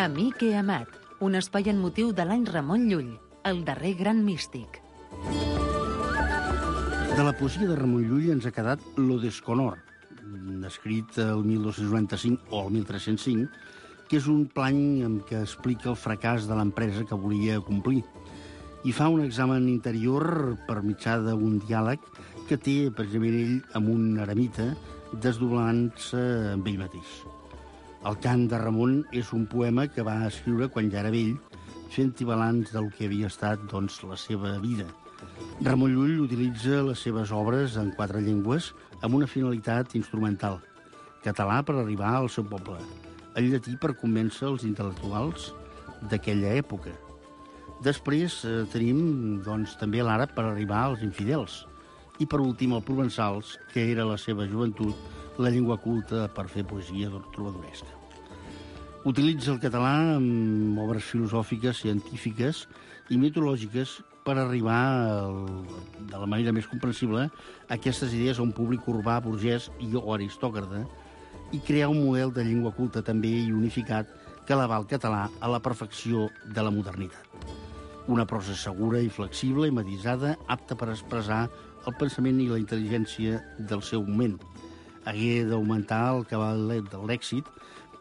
Amic he amat, un espai en motiu de l'any Ramon Llull, el darrer gran místic. De la poesia de Ramon Llull ens ha quedat Lo desconor, escrit el 1295 o el 1305, que és un plany en què explica el fracàs de l'empresa que volia complir i fa un examen interior per mitjà d'un diàleg que té precisament ell amb un eremita desdoblant-se amb ell mateix. El cant de Ramon és un poema que va escriure quan ja era vell, fent-hi balanç del que havia estat, doncs, la seva vida. Ramon Llull utilitza les seves obres en 4 llengües amb una finalitat instrumental. Català per arribar al seu poble, el llatí per convèncer els intel·lectuals d'aquella època. Després tenim, doncs, també l'àrab per arribar als infidels. I, per últim, el provençals, que era la seva joventut, la llengua culta per fer poesia trobadoresca. Utilitza el català amb obres filosòfiques, científiques i mitològiques per arribar, de la manera més comprensible, a aquestes idees a un públic urbà, burgès o aristòcrata i crear un model de llengua culta també i unificat que eleva el català a la perfecció de la modernitat. Una prosa segura i flexible i matisada, apta per expressar el pensament i la intel·ligència del seu moment. Hagué d'augmentar el cabal de l'èxit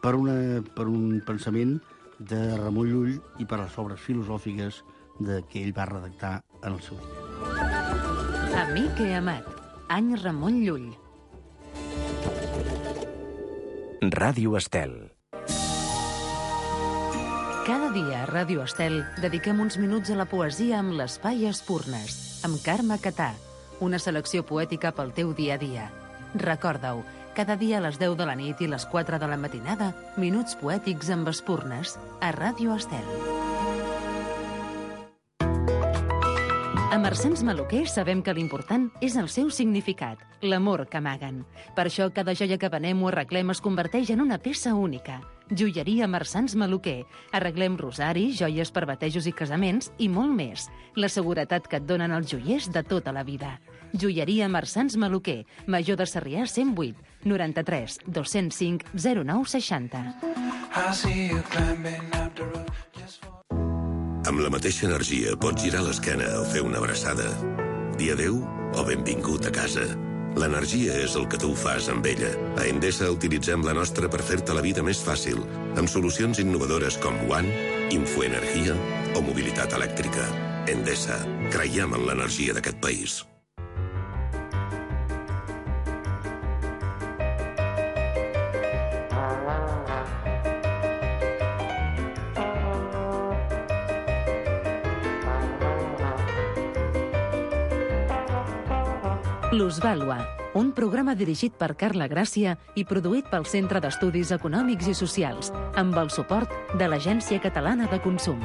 per un pensament de Ramon Llull i per les obres filosòfiques que ell va redactar en el seu dia. Amic he amat, any Ramon Llull. Ràdio Estel. Cada dia a Ràdio Estel dediquem uns minuts a la poesia amb l'Espai Espurnes, amb Carme Catà, una selecció poètica pel teu dia a dia. Recorda-ho, cada dia a les 10 de la nit i les 4 de la matinada, minuts poètics amb Espurnes, a Ràdio Estel. A Marsans Maluquer sabem que l'important és el seu significat, l'amor que amaguen. Per això cada joia que venem o arreglem es converteix en una peça única. Joieria Marsans Maluquer. Arreglem rosaris, joies per batejos i casaments i molt més. La seguretat que et donen els joiers de tota la vida. Joieria Marsans Maluquer. Major de Sarrià 108 93 205 0960. Amb la mateixa energia pots girar l'esquena o fer una abraçada. Dir adéu o benvingut a casa. L'energia és el que tu fas amb ella. A Endesa utilitzem la nostra per fer-te la vida més fàcil, amb solucions innovadores com One, Infoenergia o mobilitat elèctrica. Endesa. Creiem en l'energia d'aquest país. Plusvàlua, un programa dirigit per Carla Gràcia i produït pel Centre d'Estudis Econòmics i Socials, amb el suport de l'Agència Catalana de Consum.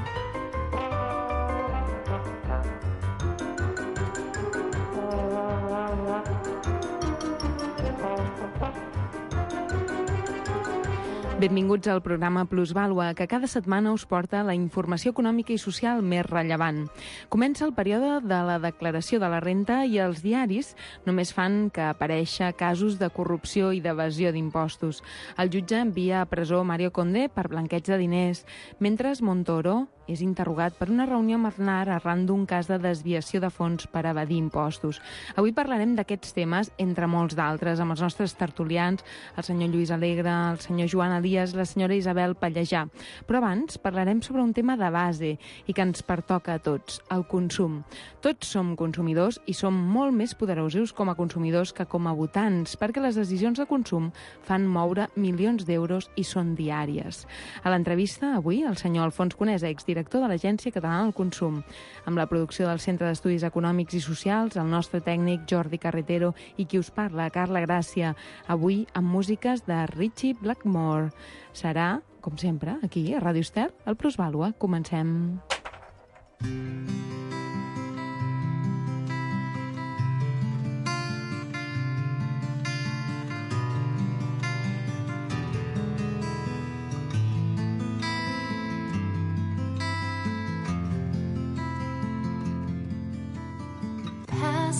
Benvinguts al programa Plusvàlua, que cada setmana us porta la informació econòmica i social més rellevant. Comença el període de la declaració de la renta i els diaris només fan que aparèixer casos de corrupció i d'evasió d'impostos. El jutge envia a presó Mario Conde per blanqueig de diners, mentre Montoro és interrogat per una reunió amb Aznar arran d'un cas de desviació de fons per evadir impostos. Avui parlarem d'aquests temes, entre molts d'altres, amb els nostres tertulians, el senyor Lluís Alegre, el senyor Joan Elias, la senyora Isabel Pallejà. Però abans parlarem sobre un tema de base i que ens pertoca a tots, el consum. Tots som consumidors i som molt més poderosos com a consumidors que com a votants, perquè les decisions de consum fan moure milions d'euros i són diàries. A l'entrevista, avui, el senyor Alfons Conesa, exdirector de l'Agència Catalana del Consum, amb la producció del Centre d'Estudis Econòmics i Socials, el nostre tècnic Jordi Carretero i qui us parla, Carla Gràcia, avui amb músiques de Ritchie Blackmore. Serà, com sempre, aquí a Ràdio Estel, al Plusvàlua. Comencem.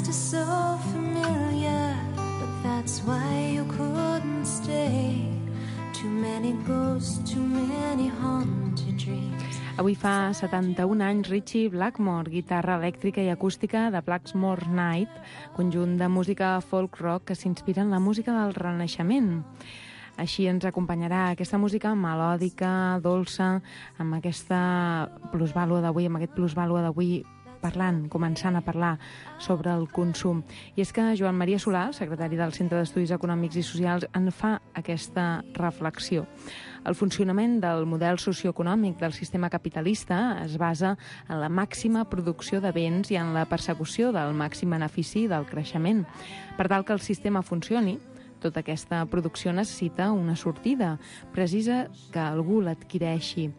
Is so familiar, but that's why you couldn't stay. Too many ghosts, too many haunted dreams. Avui fa 71 anys Ritchie Blackmore, guitarra elèctrica i acústica de Blackmore Night, conjunt de música folk-rock que s'inspira en la música del Renaixement. Així ens acompanyarà aquesta música melòdica, dolça, amb aquesta plusvàlua d'avui, amb aquest plusvàlua d'avui començant a parlar sobre el consum. I és que Joan Maria Solà, secretari del Centre d'Estudis Econòmics i Socials, en fa aquesta reflexió. El funcionament del model socioeconòmic del sistema capitalista es basa en la màxima producció de béns i en la persecució del màxim benefici del creixement. Per tal que el sistema funcioni, tota aquesta producció necessita una sortida precisa que algú l'adquireixi.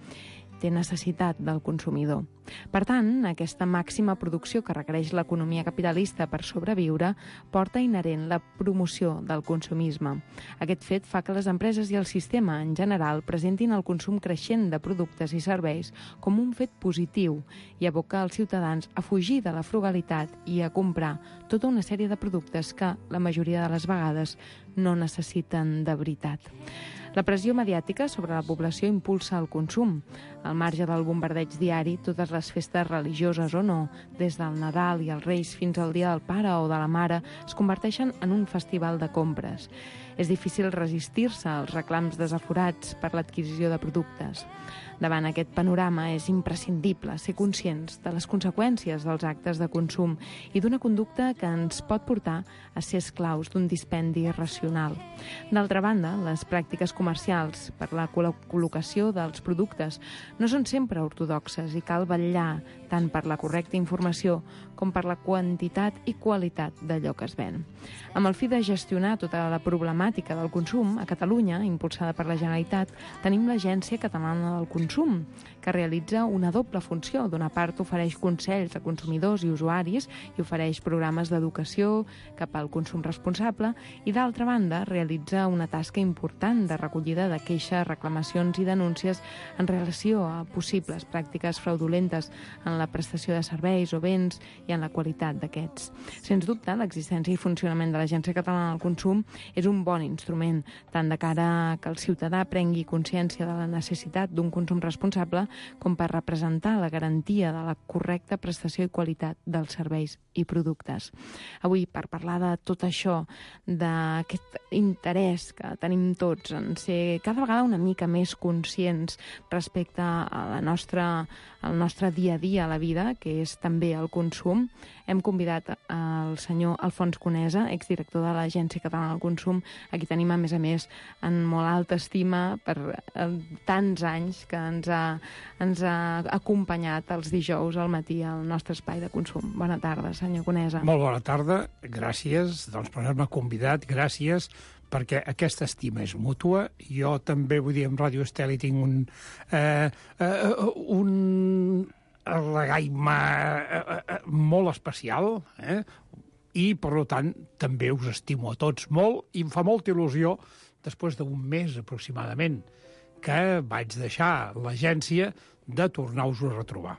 Té necessitat del consumidor. Per tant, aquesta màxima producció que requereix l'economia capitalista per sobreviure porta inherent la promoció del consumisme. Aquest fet fa que les empreses i el sistema en general presentin el consum creixent de productes i serveis com un fet positiu i aboca els ciutadans a fugir de la frugalitat i a comprar tota una sèrie de productes que, la majoria de les vegades, no necessiten de veritat. La pressió mediàtica sobre la població impulsa el consum. Al marge del bombardeig diari, totes les festes religioses o no, des del Nadal i els Reis fins al Dia del Pare o de la Mare, es converteixen en un festival de compres. És difícil resistir-se als reclams desaforats per l'adquisició de productes. Davant aquest panorama és imprescindible ser conscients de les conseqüències dels actes de consum i d'una conducta que ens pot portar a ser esclaus d'un dispendi racional. D'altra banda, les pràctiques comercials per la col·locació dels productes no són sempre ortodoxes i cal vetllar tant per la correcta informació com per la quantitat i qualitat d'allò que es ven. Amb el fi de gestionar tota la problemàtica del consum, a Catalunya, impulsada per la Generalitat, tenim l'Agència Catalana del Consum, que realitza una doble funció. D'una part, ofereix consells a consumidors i usuaris i ofereix programes d'educació cap al consum responsable i, d'altra banda, realitza una tasca important de recollida de queixes, reclamacions i denúncies en relació a possibles pràctiques fraudulentes en la prestació de serveis o béns i en la qualitat d'aquests. Sens dubte, l'existència i funcionament de l'Agència Catalana del Consum és un bon instrument, tant de cara a que el ciutadà prengui consciència de la necessitat d'un consum responsable com per representar la garantia de la correcta prestació i qualitat dels serveis i productes. Avui, per parlar de tot això, d'aquest interès que tenim tots en ser cada vegada una mica més conscients respecte a al nostre dia a dia a la vida, que és també el consum, hem convidat el senyor Alfons Conesa, exdirector de l'Agència Catalana del Consum, a qui tenim, a més, en molt alta estima per tants anys que ens ha acompanyat els dijous al matí al nostre espai de consum. Bona tarda, senyor Conesa. Molt bona tarda, gràcies per haver-me convidat, gràcies perquè aquesta estima és mútua. Jo també, vull dir, en Ràdio Estel hi tinc un regaima molt especial, i, per tant, també us estimo a tots molt i em fa molta il·lusió, després d'un mes aproximadament, que vaig deixar l'agència, de tornar-vos a retrobar.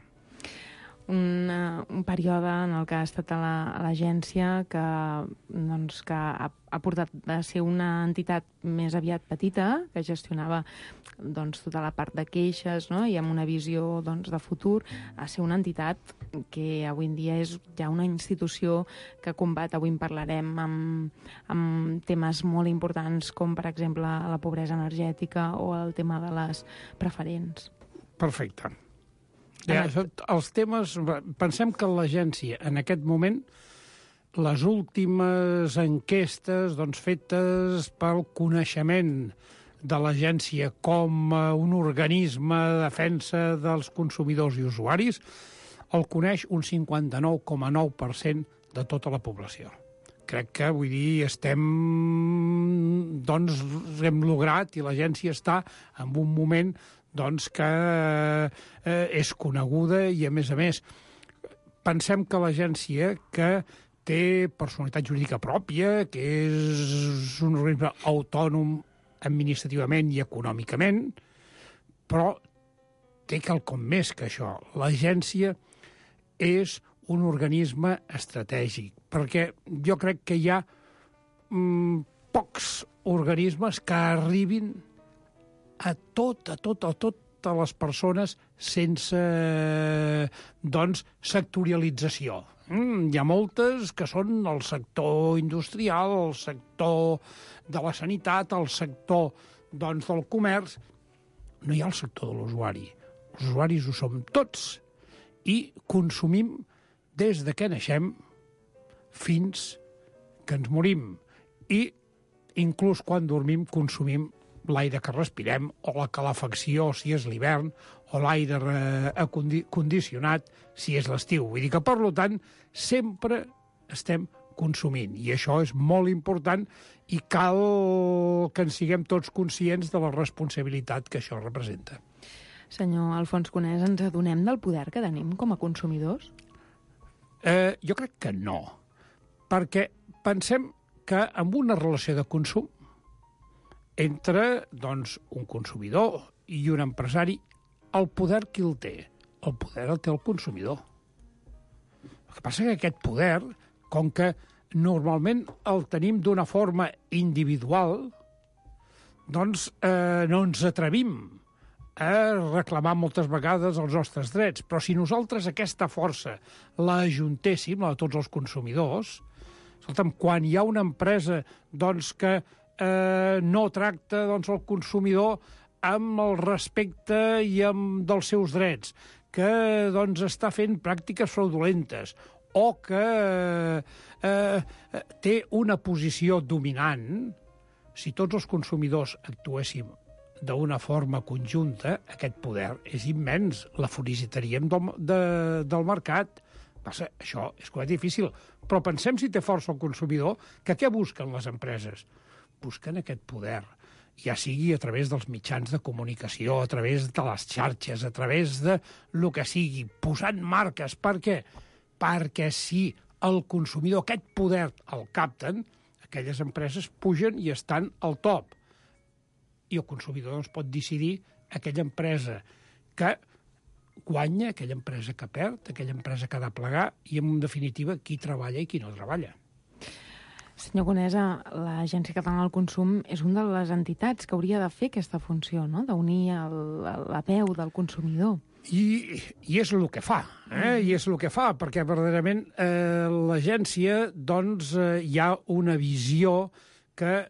Un període en el que ha estat a l'agència que ha portat a ser una entitat més aviat petita, que gestionava tota la part de queixes, no? I amb una visió de futur, a ser una entitat que avui en dia és ja una institució que combat, avui en parlarem, amb temes molt importants com, per exemple, la pobresa energètica o el tema de les preferents. Perfecte. Els temes... Pensem que l'agència, en aquest moment, les últimes enquestes fetes pel coneixement de l'agència com un organisme de defensa dels consumidors i usuaris, el coneix un 59,9% de tota la població. Crec que, vull dir, hem lograt i l'agència està en un moment que és coneguda i, a més, pensem que l'agència, que té personalitat jurídica pròpia, que és un organisme autònom administrativament i econòmicament, però té quelcom més que això. L'agència és un organisme estratègic, perquè jo crec que hi ha pocs organismes que arribin a totes les persones sense, doncs, sectorialització. Hi ha moltes que són el sector industrial, el sector de la sanitat, el sector, doncs, del comerç. No hi ha el sector de l'usuari. Els usuaris ho som tots i consumim des de que naixem fins que ens morim. I inclús quan dormim consumim l'aire que respirem o la calefacció si és l'hivern o l'aire condicionat si és l'estiu. Vull dir que, per tant, sempre estem consumint i això és molt important i cal que en siguem tots conscients de la responsabilitat que això representa. Senyor Alfons Conès, ens adonem del poder que tenim com a consumidors? Jo crec que no, perquè pensem que amb una relació de consum entre, doncs, un consumidor i un empresari, el poder qui el té? El poder el té el consumidor. El que passa que aquest poder, com que normalment el tenim d'una forma individual, doncs no ens atrevim a reclamar moltes vegades els nostres drets. Però si nosaltres aquesta força la ajuntéssim, la de tots els consumidors, escolta'm, quan hi ha una empresa doncs, que no tracta doncs, el consumidor amb el respecte i amb dels seus drets, que doncs, està fent pràctiques fraudulentes o que té una posició dominant, si tots els consumidors actuéssim d'una forma conjunta, aquest poder és immens, la foricitaríem del mercat. Passa, això és molt difícil, però pensem si té força el consumidor, que què busquen les empreses? Busquen aquest poder, ja sigui a través dels mitjans de comunicació, a través de les xarxes, a través de lo que sigui, posant marques. Per què? Perquè si el consumidor aquest poder el capten, aquelles empreses pugen i estan al top. I el consumidor doncs, pot decidir aquella empresa que guanya, aquella empresa que perd, aquella empresa que ha de plegar i, en definitiva, qui treballa i qui no treballa. Senyor Conesa, l'Agència Catalana del Consum és una de les entitats que hauria de fer aquesta funció, no?, d'unir la veu del consumidor. I és el que fa, I és el que fa, perquè verdaderament l'agència, doncs, hi ha una visió que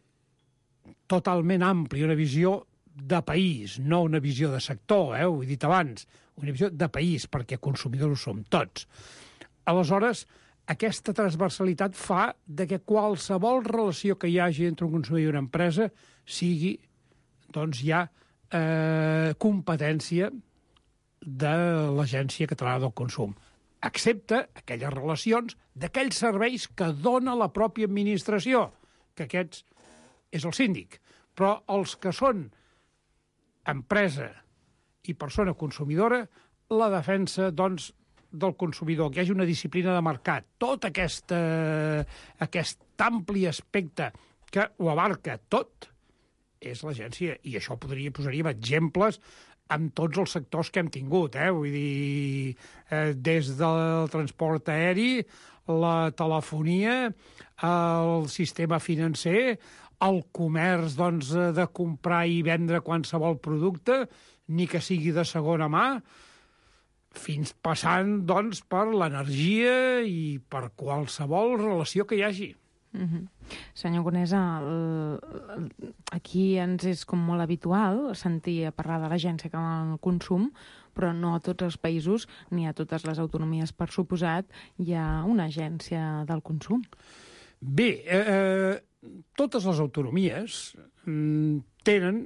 totalment àmplia, una visió de país, no una visió de sector, ho he dit abans, una visió de país, perquè consumidors som tots. Aleshores, aquesta transversalitat fa que qualsevol relació que hi hagi entre un consumidor i una empresa sigui, doncs, ja competència de l'Agència Catalana del Consum, excepte aquelles relacions d'aquells serveis que dona la pròpia administració, que aquests és el síndic. Però els que són empresa i persona consumidora, la defensa, doncs, del consumidor, que hi hagi una disciplina de mercat, tot aquest ampli aspecte que ho abarca tot, és l'agència. I això posaríem exemples amb tots els sectors que hem tingut, Vull dir, des del transport aeri, la telefonia, el sistema financer, el comerç, doncs, de comprar i vendre qualsevol producte, ni que sigui de segona mà, fins passant, doncs, per l'energia i per qualsevol relació que hi hagi. Senyor Conesa, aquí ens és com molt habitual sentir a parlar de l'Agència Catalana del Consum, però no a tots els països ni a totes les autonomies, per suposat, hi ha una agència del consum. Bé, totes les autonomies tenen,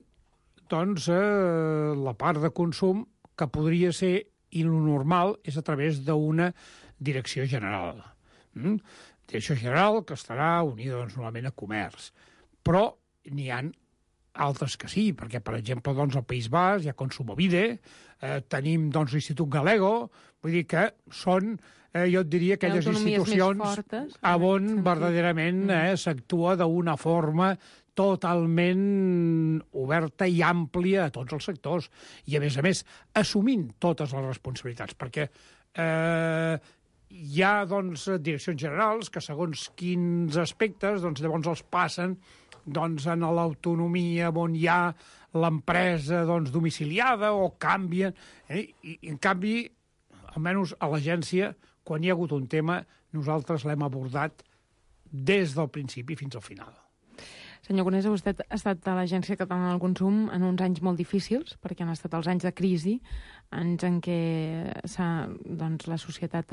doncs, la part de consum que podria ser, i el normal és a través d'una direcció general. Direcció general que estarà unida, doncs, normalment a comerç. Però n'hi ha altres que sí, perquè, per exemple, doncs, al País Basc hi ha Kontsumobide, tenim, doncs, l'Institut Galego, vull dir que són, jo et diria, aquelles institucions on verdaderament s'actua d'una forma totalment oberta i àmplia a tots els sectors. I, a més, assumint totes les responsabilitats, perquè hi ha, doncs, direccions generals que, segons quins aspectes, doncs, llavors els passen, doncs, en l'autonomia on hi ha l'empresa domiciliada o canvien. I en canvi, almenys a l'agència, quan hi ha hagut un tema, nosaltres l'hem abordat des del principi fins al final. Senyor Conesa, vostè ha estat a l'Agència Catalana del Consum en uns anys molt difícils, perquè han estat els anys de crisi, anys en què la societat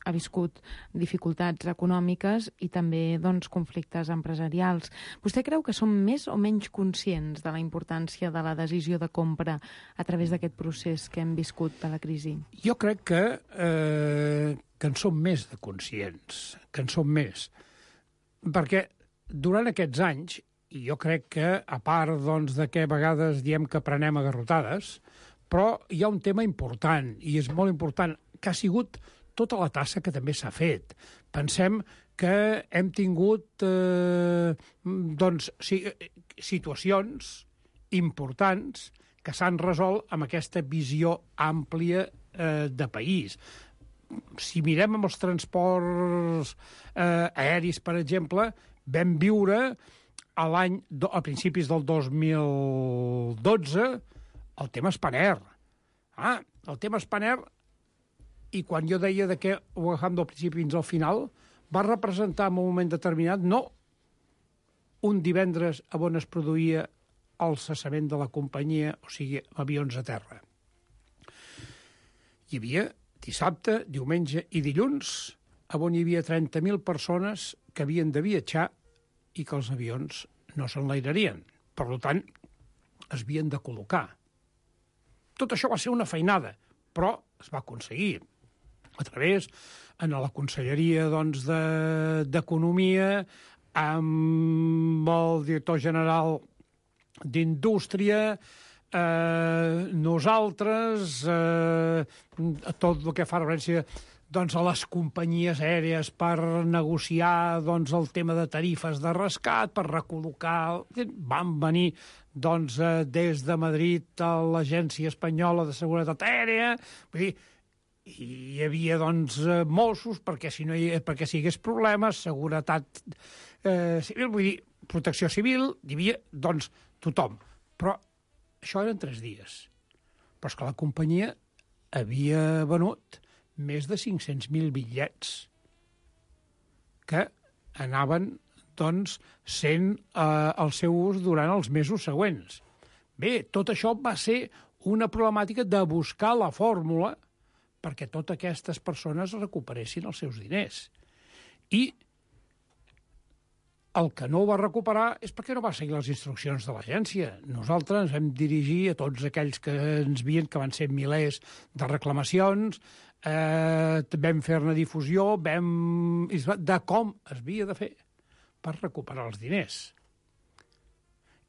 ha viscut dificultats econòmiques i també conflictes empresarials. Vostè creu que som més o menys conscients de la importància de la decisió de compra a través d'aquest procés que hem viscut de la crisi? Jo crec que en som més de conscients, que en som més. Perquè durant aquests anys, i jo crec que, a part de que a vegades diem que prenem a garrotades, però hi ha un tema important, i és molt important, que ha sigut tota la tassa que també s'ha fet. Pensem que hem tingut situacions importants que s'han resolt amb aquesta visió àmplia de país. Si mirem amb els transports aeris, per exemple, vam viure a principis del 2012 el tema Spanair. El tema Spanair, i quan jo deia que ho agafam del principi fins al final, va representar en un moment determinat no un divendres on es produïa el cessament de la companyia, o sigui, avions a terra. Hi havia dissabte, diumenge i dilluns, on hi havia 30.000 persones que havien de viatjar i que els avions no s'enlairarien. Per tant, es havien de col·locar. Tot això va ser una feinada, però es va aconseguir a través en la Conselleria d'Economia, amb el director general d'Indústria, nosaltres, tot el que fa referència a les companyies aèries per negociar el tema de tarifes de rescat, per recol·locar. Van venir des de Madrid a l'Agència Espanyola de Seguretat Aèria. Vull dir, hi havia Mossos perquè si hi hagués problemes, seguretat civil, vull dir, protecció civil, hi havia tothom. Però això eren 3 dies. Però és que la companyia havia venut més de 500.000 bitllets que anaven sent el seu ús durant els mesos següents. Bé, tot això va ser una problemàtica de buscar la fórmula perquè totes aquestes persones recuperessin els seus diners. I el que no ho va recuperar és perquè no va seguir les instruccions de l'agència. Nosaltres ens vam dirigir a tots aquells que ens veien, que van ser milers de reclamacions, vam fer-ne difusió, de com es havia de fer per recuperar els diners.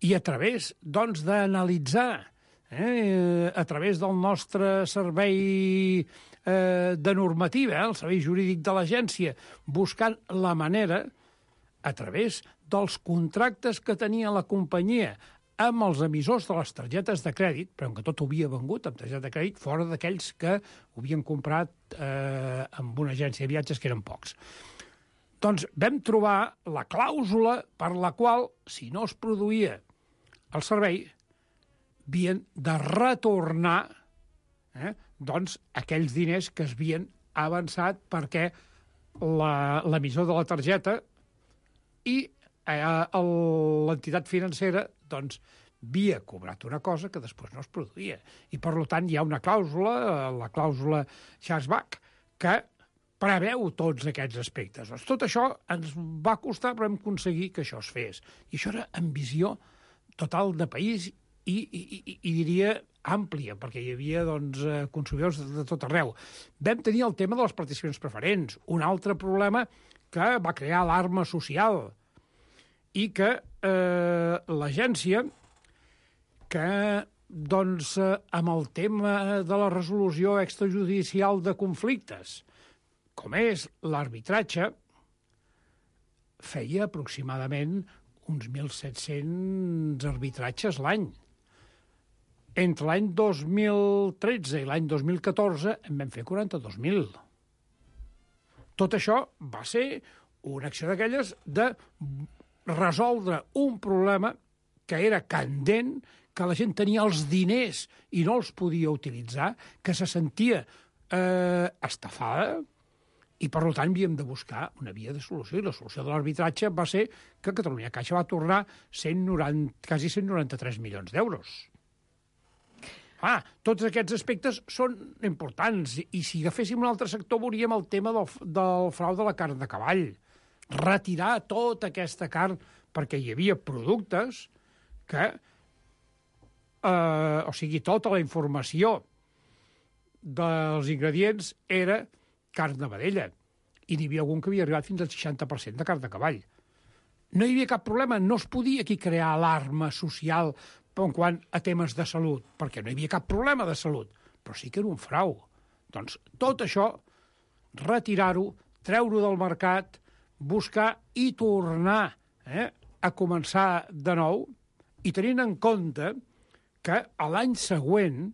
I a través, d'analitzar, a través del nostre servei de normativa, el servei jurídic de l'agència, buscant la manera, a través dels contractes que tenia la companyia amb els emissors de les targetes de crèdit, però que tot havia vengut amb targeta de crèdit, fora d'aquells que ho havien comprat amb una agència de viatges, que eren pocs. Doncs vam trobar la clàusula per la qual, si no es produïa el servei, havien de retornar aquells diners que es havien avançat perquè l'emissor de la targeta i l'entitat financera havia cobrat una cosa que després no es produïa. I, per tant, hi ha una clàusula, la clàusula chargeback, que preveu tots aquests aspectes. Tot això ens va costar, però vam aconseguir que això es fes. I això era amb visió total de país i diria àmplia, perquè hi havia consumidors de tot arreu. Vam tenir el tema de les participacions preferents, un altre problema que va crear alarma social i que l'agència, que amb el tema de la resolució extrajudicial de conflictes, com és l'arbitratge, feia aproximadament uns 1.700 arbitratges l'any. Entre l'any 2013 i l'any 2014 en vam fer 42.000. Tot això va ser una acció d'aquelles de resoldre un problema que era candent, que la gent tenia els diners i no els podia utilitzar, que se sentia estafada, i per tant havíem de buscar una via de solució, i la solució de l'arbitratge va ser que Catalunya Caixa va tornar quasi 193 milions d'euros. Tots aquests aspectes són importants, i si agaféssim un altre sector veuríem el tema del frau de la carn de cavall. Retirar tota aquesta carn, perquè hi havia productes que, o sigui, tota la informació dels ingredients era carn de vedella, i n'hi havia algun que havia arribat fins al 60% de carn de cavall. No hi havia cap problema, no es podia aquí crear alarma social en quant a temes de salut, perquè no hi havia cap problema de salut, però sí que era un frau. Doncs tot això, retirar-ho, treure-ho del mercat, buscar i tornar a començar de nou, i tenint en compte que a l'any següent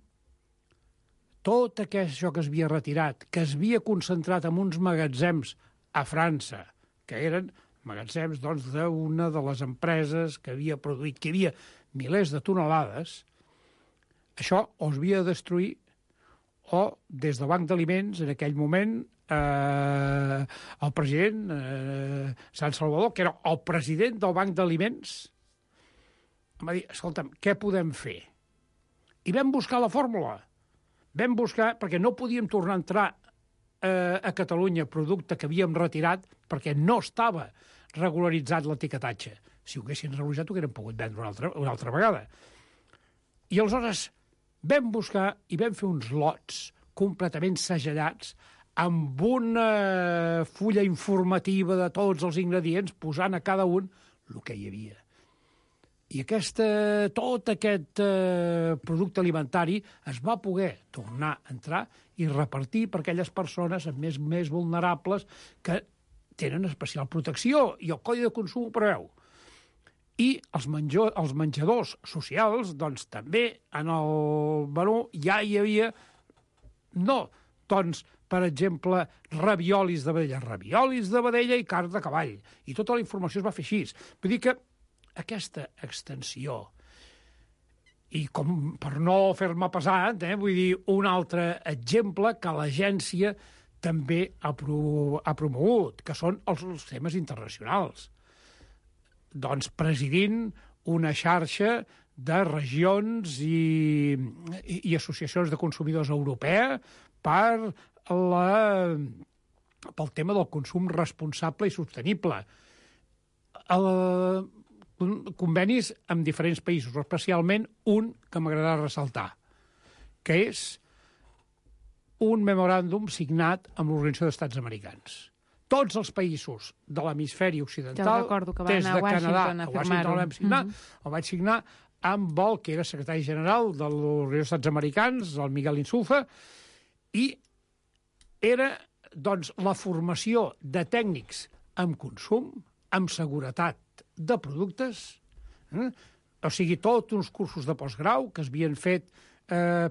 tot això que es havia retirat, que es havia concentrat en uns magatzems a França, que eren magatzems d'una de les empreses que havia produït, que hi havia milers de tonelades, això o es havia de destruir o des del Banc d'Aliments, en aquell moment, el president Sant Salvador, que era el president del Banc d'Aliments, em va dir, escolta'm, què podem fer? I vam buscar la fórmula. Vam buscar, perquè no podíem tornar a entrar a Catalunya producte que havíem retirat perquè no estava regularitzat l'etiquetatge. Si ho haguessin regularitzat, ho haguérem pogut vendre una altra vegada. I aleshores vam buscar i vam fer uns lots completament segellats amb una fulla informativa de tots els ingredients, posant a cada un el que hi havia. I tot aquest producte alimentari es va poder tornar a entrar i repartir per aquelles persones més vulnerables que tenen especial protecció, i el Codi de Consum ho preveu. I els menjadors socials, doncs també en el menú ja hi havia, per exemple, raviolis de vedella i carn de cavall. I tota la informació es va fer així. Vull dir que aquesta extensió, i com per no fer-me pesat, vull dir, un altre exemple que l'agència també ha promogut, que són els temes internacionals. Doncs presidint una xarxa de regions i associacions de consumidors europea pel tema del consum responsable i sostenible. Convenis amb diferents països, especialment un que m'agrada ressaltar, que és un memoràndum signat amb l'Organització d'Estats Americans. Tots els països de l'hemisferi occidental, des de Canadà a Washington, el vaig signar amb el que era secretari general de l'Organització d'Estats Americans, el Miguel Insulza, i era, doncs, la formació de tècnics en consum, amb seguretat de productes, o sigui, tots uns cursos de postgrau que es havien fet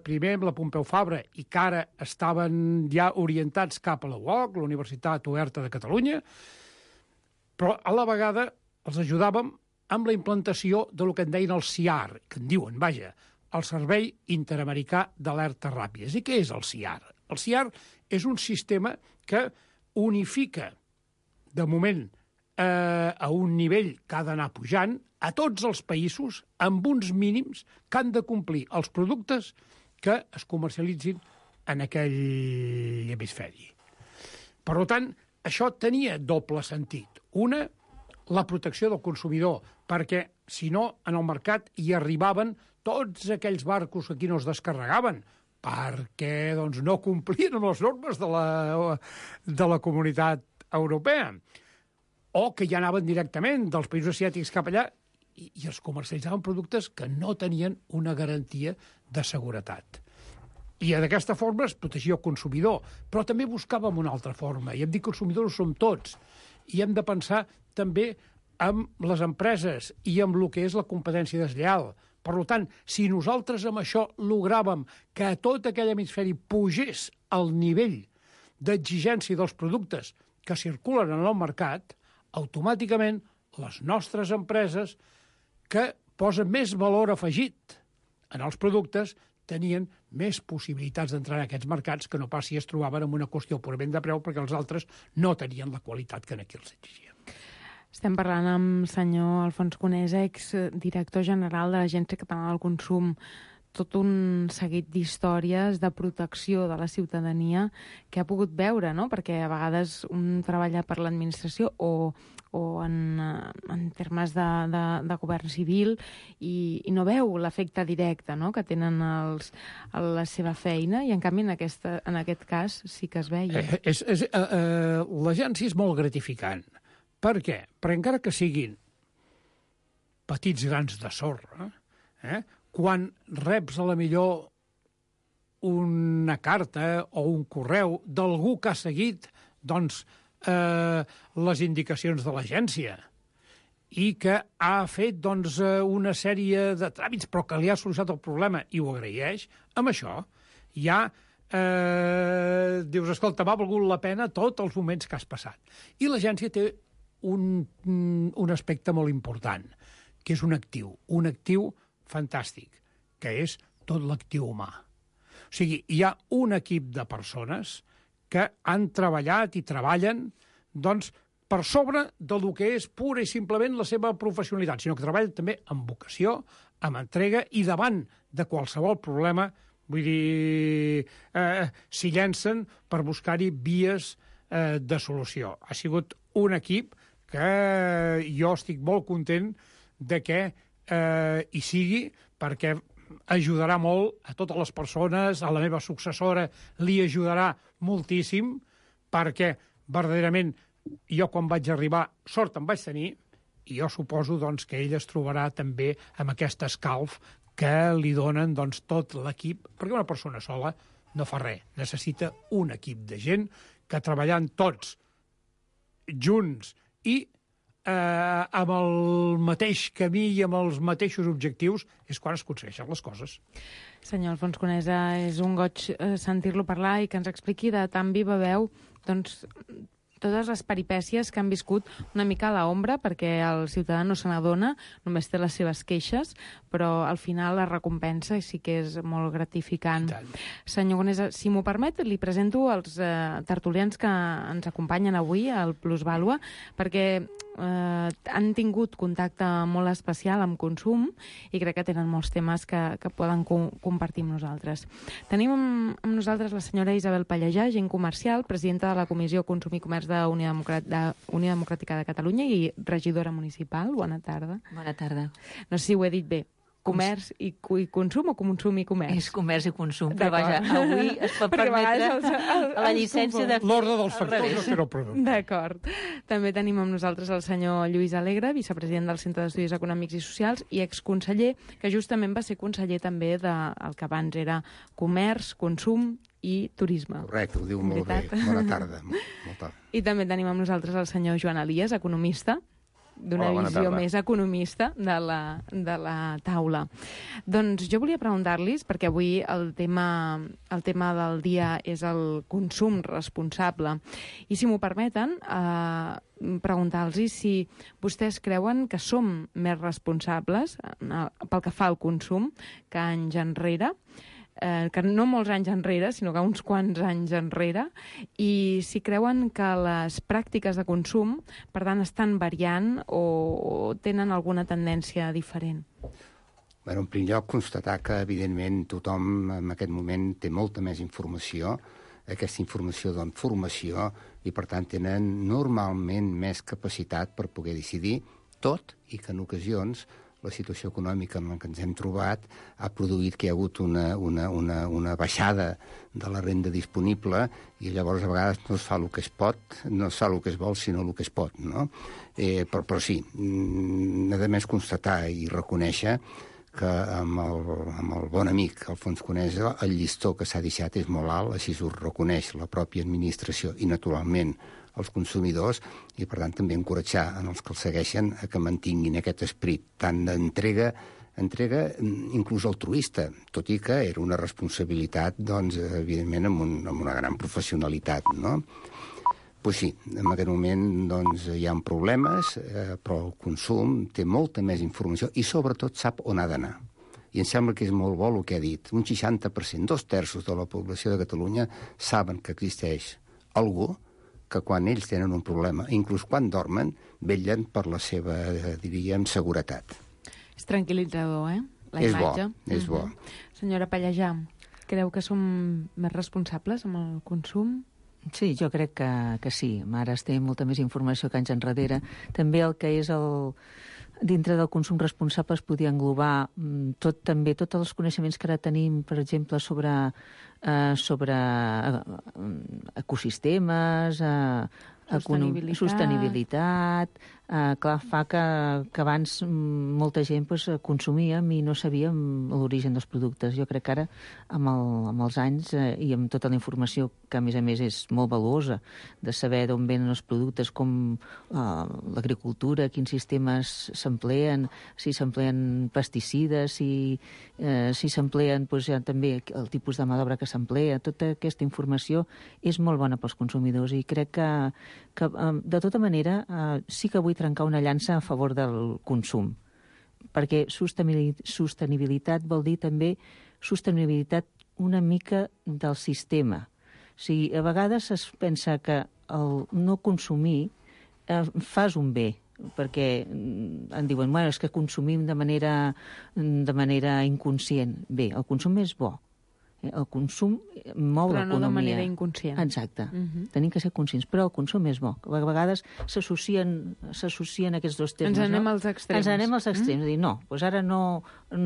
primer amb la Pompeu Fabra i que ara estaven ja orientats cap a la UOC, la Universitat Oberta de Catalunya, però a la vegada els ajudàvem amb la implantació del que en deien el CIAR, que en diuen, vaja, el Servei Interamericà d'Alertes Ràpides. I què és el CIAR? El CIAR és un sistema que unifica, de moment, a un nivell que ha d'anar pujant a tots els països amb uns mínims que han de complir els productes que es comercialitzin en aquell hemisferi. Per tant, això tenia doble sentit. Una, la protecció del consumidor, perquè, si no, en el mercat hi arribaven tots aquells barcos que aquí no es descarregaven, perquè no complien amb les normes de la Comunitat Europea, o que ja anaven directament dels països asiàtics cap allà i els comercialitzaven productes que no tenien una garantia de seguretat. I d'aquesta forma es protegia el consumidor, però també buscàvem una altra forma, i hem dit que els consumidors som tots, i hem de pensar també en les empreses i en el que és la competència deslleial. Per tant, si nosaltres amb això logràvem que a tot aquell hemisferi pugés el nivell d'exigència dels productes que circulen en el mercat, automàticament les nostres empreses que posen més valor afegit en els productes, tenien més possibilitats d'entrar en aquests mercats que no pas si es trobaven amb una qüestió purament de preu, perquè els altres no tenien la qualitat que aquí els exigien. Estem parlant amb senyor Alfons Conesa, exdirector general de l'Agència Catalana del Consum, tot un seguit d'històries de protecció de la ciutadania que ha pogut veure, no? Perquè a vegades un treballa per l'administració o en termes de govern civil i no veu l'efecte directe, no?, que tenen a la seva feina, i en canvi en aquest cas sí que es veia. L'agència és molt gratificant. Per què? Perquè encara que siguin petits grans de sorra, quan reps a la millor una carta o un correu d'algú que ha seguit les indicacions de l'agència i que ha fet una sèrie de tràmits però que li ha solucionat el problema i ho agraeix, amb això ja dius, escolta, m'ha valgut la pena tots els moments que has passat. I l'agència té un aspecte molt important, que és un actiu fantàstic, que és tot l'actiu humà. O sigui, hi ha un equip de persones que han treballat i treballen per sobre del que és pura i simplement la seva professionalitat, sinó que treballen també amb vocació, amb entrega i davant de qualsevol problema, vull dir, s'hi llencen per buscar-hi vies de solució. Ha sigut un equip que jo estic molt content de que hi sigui, perquè ajudarà molt a totes les persones, a la meva successora li ajudarà moltíssim, perquè verdaderament jo quan vaig arribar sort em vaig tenir, i jo suposo que ell es trobarà també amb aquest escalf que li donen tot l'equip, perquè una persona sola no fa res, necessita un equip de gent que treballant tots junts i amb el mateix camí i amb els mateixos objectius és quan es aconsegueixen les coses. Senyor Alfons Conesa, és un goig sentir-lo parlar i que ens expliqui de tan viva veu totes les peripècies que han viscut una mica a l'ombra, perquè el ciutadà no se n'adona, només té les seves queixes, però al final la recompensa sí que és molt gratificant. Senyor Conesa, si m'ho permet, li presento els tertulians que ens acompanyen avui al Plusvàlua, perquè han tingut contacte molt especial amb consum i crec que tenen molts temes que poden compartir amb nosaltres. Tenim amb nosaltres la senyora Isabel Pallejà, agent comercial, presidenta de la Comissió Consum i Comerç de Unió Democràtica de Catalunya i regidora municipal. Bona tarda. Bona tarda. No sé si ho he dit bé. Comerç i consum o consum i comerç? És comerç i consum, però vaja, avui es pot permetre la llicència de... L'ordre dels factors no serà el producte. D'acord. També tenim amb nosaltres el senyor Lluís Alegre, vicepresident del Centre d'Estudis Econòmics i Socials i exconseller, que justament va ser conseller també del que abans era comerç, consum i turisme. Correcte, ho diu molt bé. Bona tarda. I també tenim amb nosaltres el senyor Joan Elias, economista, d'una visió més economista de la taula. Doncs jo volia preguntar-los, perquè avui el tema del dia és el consum responsable, i si m'ho permeten, preguntar-los si vostès creuen que som més responsables pel que fa al consum que anys enrere, que no molts anys enrere, sinó que uns quants anys enrere, i si creuen que les pràctiques de consum, per tant, estan variant o tenen alguna tendència diferent. Bé, en primer lloc, constatar que, evidentment, tothom en aquest moment té molta més informació. Aquesta informació dona formació i, per tant, tenen normalment més capacitat per poder decidir, tot i que en ocasions la situació econòmica en la que ens hem trobat ha produït que hi ha hagut una baixada de la renda disponible i llavors a vegades no es fa el que es pot, no es fa el que es vol, sinó el que es pot, no? Però sí, a més constatar i reconèixer que amb el bon amic Alfons Conesa el llistó que s'ha deixat és molt alt, així ho reconeix la pròpia administració i naturalment els consumidors, i per tant també encoratjar en els que els segueixen a que mantinguin aquest esperit tant d'entrega inclús altruista, tot i que era una responsabilitat, doncs, evidentment, amb una gran professionalitat, no? Pues sí, en aquest moment doncs, hi ha problemes, però el consum té molta més informació i sobretot sap on ha d'anar. I em sembla que és molt bo el que ha dit. Un 60%, 2/3 de la població de Catalunya saben que existeix algú que quan ells tenen un problema, inclús quan dormen, vetllen per la seva, diríem, seguretat. És tranquil·litzador, la és imatge. Bo, és bo. Senyora Pallejà, creu que som més responsables amb el consum? Sí, jo crec que sí. Ara es té molta més informació que anys enrere. També el que és dintre del consum responsable es podia englobar també tots els coneixements que ara tenim, per exemple, sobre ecosistemes, sostenibilitat. Clar, fa que abans molta gent consumíem i no sabíem l'origen dels productes. Jo crec que ara, amb els anys i amb tota la informació, que a més és molt valuosa, de saber d'on venen els productes, com l'agricultura, quins sistemes s'empleen, si s'empleen pesticides, si s'empleen també el tipus de mà d'obra que s'emplea, tota aquesta informació és molt bona pels consumidors i crec que de tota manera sí que vull trencar una llança a favor del consum, perquè sostenibilitat vol dir també sostenibilitat una mica del sistema. O sigui, a vegades es pensa que el no consumir fas un bé, perquè en diuen, bueno, és que consumim de manera inconscient. Bé, el consum és bo. El consum mou l'economia. Però no de manera inconscient. Exacte. Tenim que ser conscients, però el consum és bo. A vegades s'associen aquests dos termes. Ens anem als extrems. Ens anem als extrems. Dir, no, doncs ara no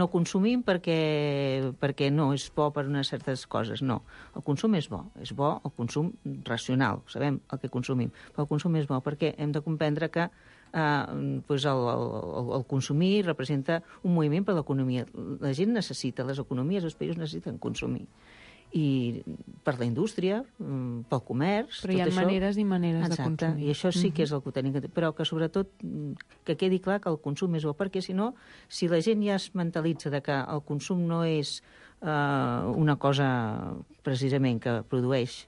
consumim perquè no és bo per unes certes coses. No, el consum és bo. És bo el consum racional. Sabem el que consumim. Però el consum és bo perquè hem de comprendre que el consumir representa un moviment per l'economia. La gent necessita, les economies dels països necessiten consumir. I per la indústria, pel comerç... Però hi ha maneres i maneres de consumir. I això sí que és el que tenim que dir. Però que sobretot que quedi clar que el consum és bo, perquè si no, si la gent ja es mentalitza de que el consum no és una cosa precisament que produeix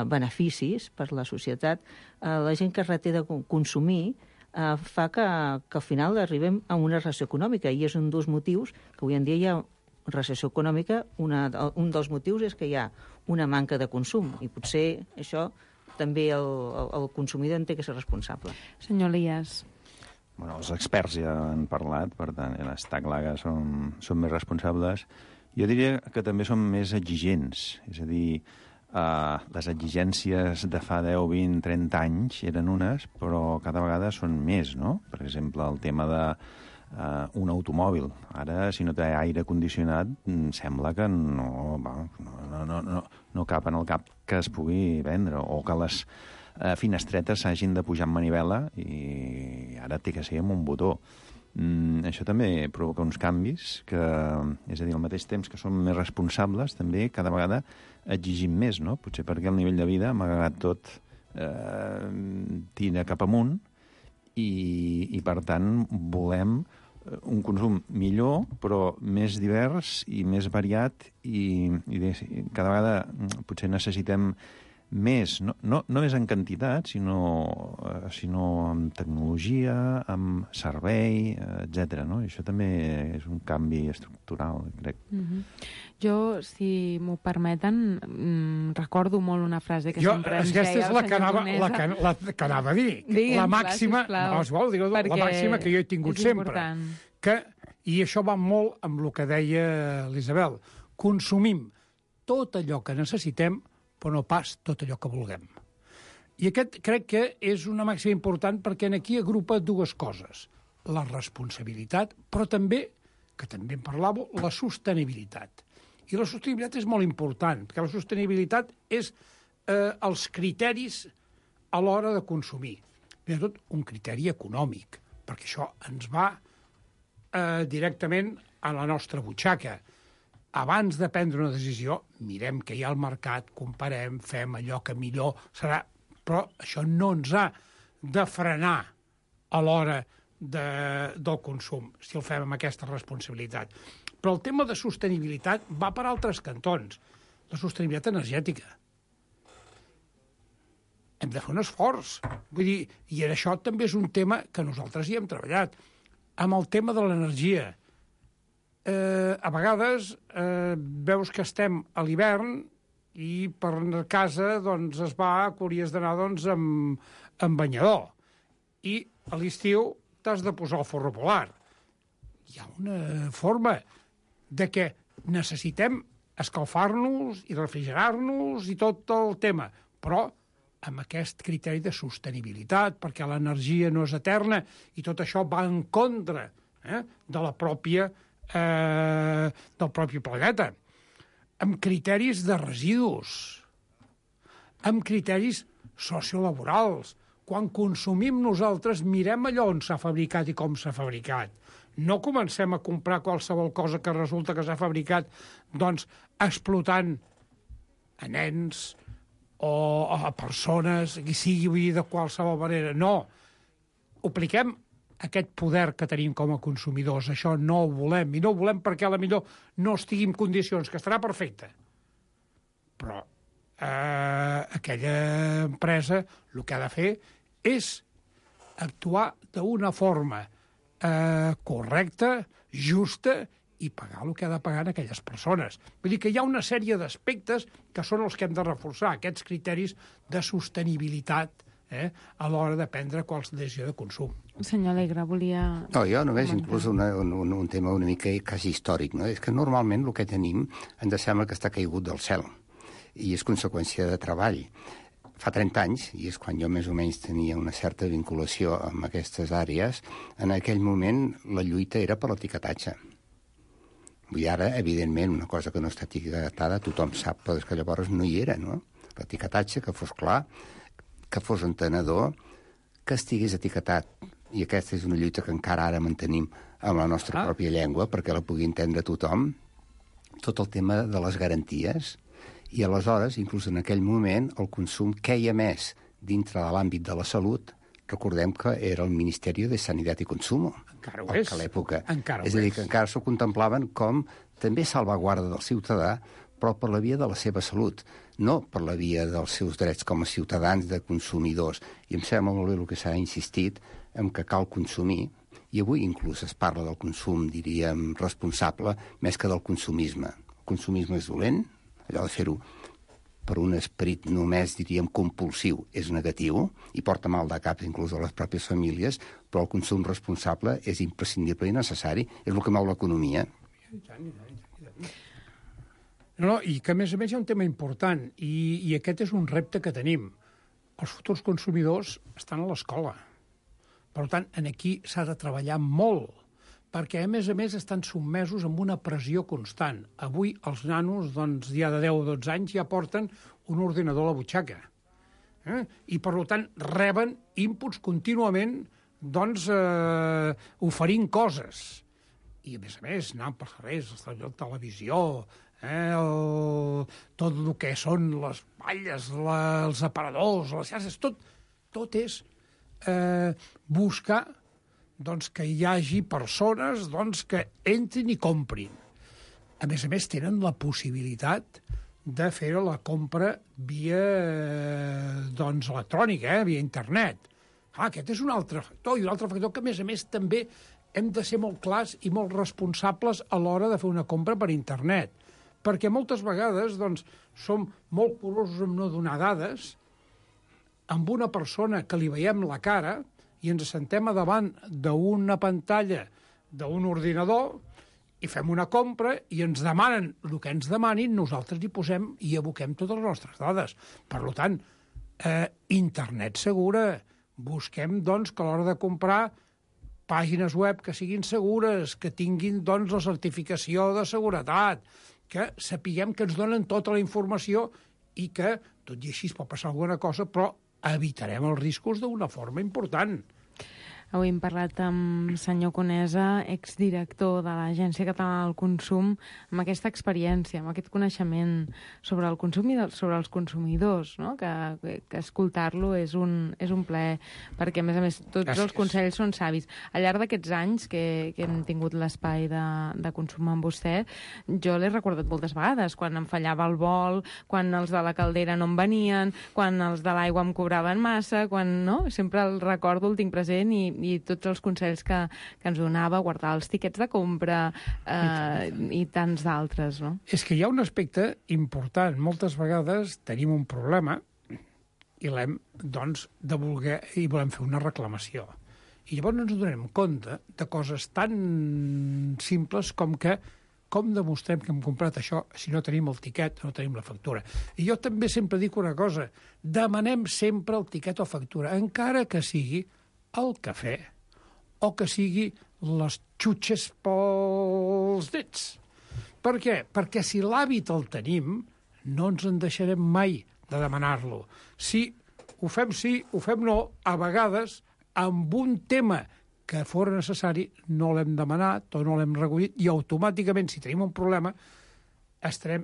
beneficis per la societat, la gent que es reté de consumir fa que al final arribem a una recessió econòmica, i és un dels motius que avui en dia hi ha recessió econòmica. Un dels motius és que hi ha una manca de consum, i potser això també el consumidor en té que ser responsable. Senyor Elias. Bueno, els experts ja han parlat, per tant, està clar que som més responsables. Jo diria que també som més exigents, és a dir, les exigències de fa 10, 20, 30 anys eren unes, però cada vegada són més, no? Per exemple, el tema d'un automòbil. Ara, si no té aire condicionat, sembla que no cap en el cap que es pugui vendre, o que les finestretes s'hagin de pujar amb manivela i ara té que ser amb un botó. Això també provoca uns canvis que, és a dir, al mateix temps que som més responsables, també cada vegada exigim més, no? Potser perquè el nivell de vida, malgrat tot, tira cap amunt i per tant, volem un consum millor, però més divers i més variat i cada vegada potser necessitem més, no més en quantitat, sinó amb tecnologia, amb servei, etc. No? I això també és un canvi estructural, crec. Jo, si m'ho permeten, recordo molt una frase que sempre ens deia el senyor Conesa. La que anava a dir. Digue'm, la màxima, la màxima que jo he tingut sempre. I això va molt amb el que deia l'Isabel. Consumim tot allò que necessitem, però no pas tot allò que vulguem. I aquest crec que és una màxima important perquè aquí agrupa dues coses. La responsabilitat, però també, que també en parlàveu, la sostenibilitat. I la sostenibilitat és molt important, perquè la sostenibilitat és els criteris a l'hora de consumir. Primer de tot, un criteri econòmic, perquè això ens va directament a la nostra butxaca. Abans de prendre una decisió, mirem què hi ha al mercat, comparem, fem allò que millor serà, però això no ens ha de frenar a l'hora del consum, si el fem amb aquesta responsabilitat. Però el tema de sostenibilitat va per altres cantons. La sostenibilitat energètica. Hem de fer un esforç. Vull dir, i això també és un tema que nosaltres hi hem treballat. Amb el tema de l'energia, a vegades veus que estem a l'hivern i per casa doncs, es va que hauries d'anar doncs, amb banyador. I a l'estiu t'has de posar el forro polar. Hi ha una forma de que necessitem escalfar-nos i refrigerar-nos i tot el tema, però amb aquest criteri de sostenibilitat, perquè l'energia no és eterna i tot això va en contra de la pròpia, del propi planeta, amb criteris de residus, amb criteris sociolaborals. Quan consumim nosaltres, mirem allò on s'ha fabricat i com s'ha fabricat. No comencem a comprar qualsevol cosa que resulta que s'ha fabricat doncs, explotant a nens o a persones, que sigui de qualsevol manera. No. Apliquem aquest poder que tenim com a consumidors. Això no ho volem. I no ho volem perquè potser no estigui en condicions, que estarà perfecte. Però aquella empresa el que ha de fer és actuar d'una forma correcta, justa, i pagar el que ha de pagar a aquelles persones. Vull dir que hi ha una sèrie d'aspectes que són els que hem de reforçar, aquests criteris de sostenibilitat a l'hora de prendre qualsevol decisió de consum. Senyor Alegre, volia... No, jo només inclús un tema una mica quasi històric, no? És que normalment el que tenim ens sembla que està caigut del cel i és conseqüència de treball. Fa 30 anys, i és quan jo més o menys tenia una certa vinculació amb aquestes àrees, en aquell moment la lluita era per l'etiquetatge. Vull dir, ara, evidentment, una cosa que no està etiquetada, tothom sap, però és que llavors no hi era, no? L'etiquetatge, que fos clar, que fos entenedor, que estigués etiquetat. I aquesta és una lluita que encara ara mantenim amb la nostra pròpia llengua, perquè la pugui entendre tothom. Tot el tema de les garanties. I aleshores, inclús en aquell moment, el consum queia més dintre de l'àmbit de la salut. Recordem que era el Ministeri de Sanitat i Consumo. Encara ho és. A l'època. Encara és a dir, que encara s'ho contemplaven com també salvaguarda del ciutadà, però per la via de la seva salut, no per la via dels seus drets com a ciutadans de consumidors. I em sembla molt bé el que s'ha insistit en que cal consumir, i avui inclús es parla del consum, diríem, responsable, més que del consumisme. El consumisme és dolent, allò de fer-ho per un esperit només, diríem, compulsiu, és negatiu i porta mal de cap inclús a les pròpies famílies, però el consum responsable és imprescindible i necessari, és el que mou l'economia. No, i que, a més, hi ha un tema important, i aquest és un repte que tenim. Els futurs consumidors estan a l'escola. Per tant, aquí s'ha de treballar molt, perquè, a més, estan sotmesos amb una pressió constant. Avui els nanos, doncs, ja de 10 o 12 anys, ja porten un ordinador a la butxaca. I, per tant, reben inputs contínuament, doncs, oferint coses. I, a més, anant per carrers, la televisió, tot el que són les balles, els aparadors, les xarxes, tot és buscar doncs, que hi hagi persones doncs, que entrin i comprin. A més, tenen la possibilitat de fer la compra via doncs, electrònica, via internet. Aquest és un altre factor, i un altre factor que, a més, també hem de ser molt clars i molt responsables a l'hora de fer una compra per internet. Perquè moltes vegades doncs, som molt curosos en no donar dades amb una persona que li veiem la cara i ens sentem a davant d'una pantalla d'un ordinador i fem una compra i ens demanen el que ens demanin, nosaltres hi posem i aboquem totes les nostres dades. Per tant, internet segura. Busquem, doncs, que a l'hora de comprar pàgines web que siguin segures, que tinguin, doncs, la certificació de seguretat, que sapiguem que ens donen tota la informació i que, tot i així, pot passar alguna cosa, però evitarem els riscos d'una forma important. Avui hem parlat amb senyor Conesa, exdirector de l'Agència Catalana del Consum, amb aquesta experiència, amb aquest coneixement sobre el consum i sobre els consumidors, no? que escoltar-lo és un plaer, perquè, a més, tots els consells són savis. Al llarg d'aquests anys que hem tingut l'espai de consum amb vostè, jo l'he recordat moltes vegades, quan em fallava el vol, quan els de la caldera no em venien, quan els de l'aigua em cobraven massa, quan no? Sempre el recordo, el tinc present i i tots els consells que ens donava, guardar els tiquets de compra i tants d'altres, no? És que hi ha un aspecte important. Moltes vegades tenim un problema i l'hem, doncs, de voler i volem fer una reclamació. I llavors ens donem compte de coses tan simples com que com demostrem que hem comprat això si no tenim el tiquet, no tenim la factura. I jo també sempre dic una cosa, demanem sempre el tiquet o factura, encara que sigui el cafè o que sigui les xutxes pels dits. Per què? Perquè si l'hàbit el tenim, no ens en deixarem mai de demanar-lo. Si ho fem no, a vegades, amb un tema que fora necessari, no l'hem demanat o no l'hem recollit, i automàticament, si tenim un problema, estarem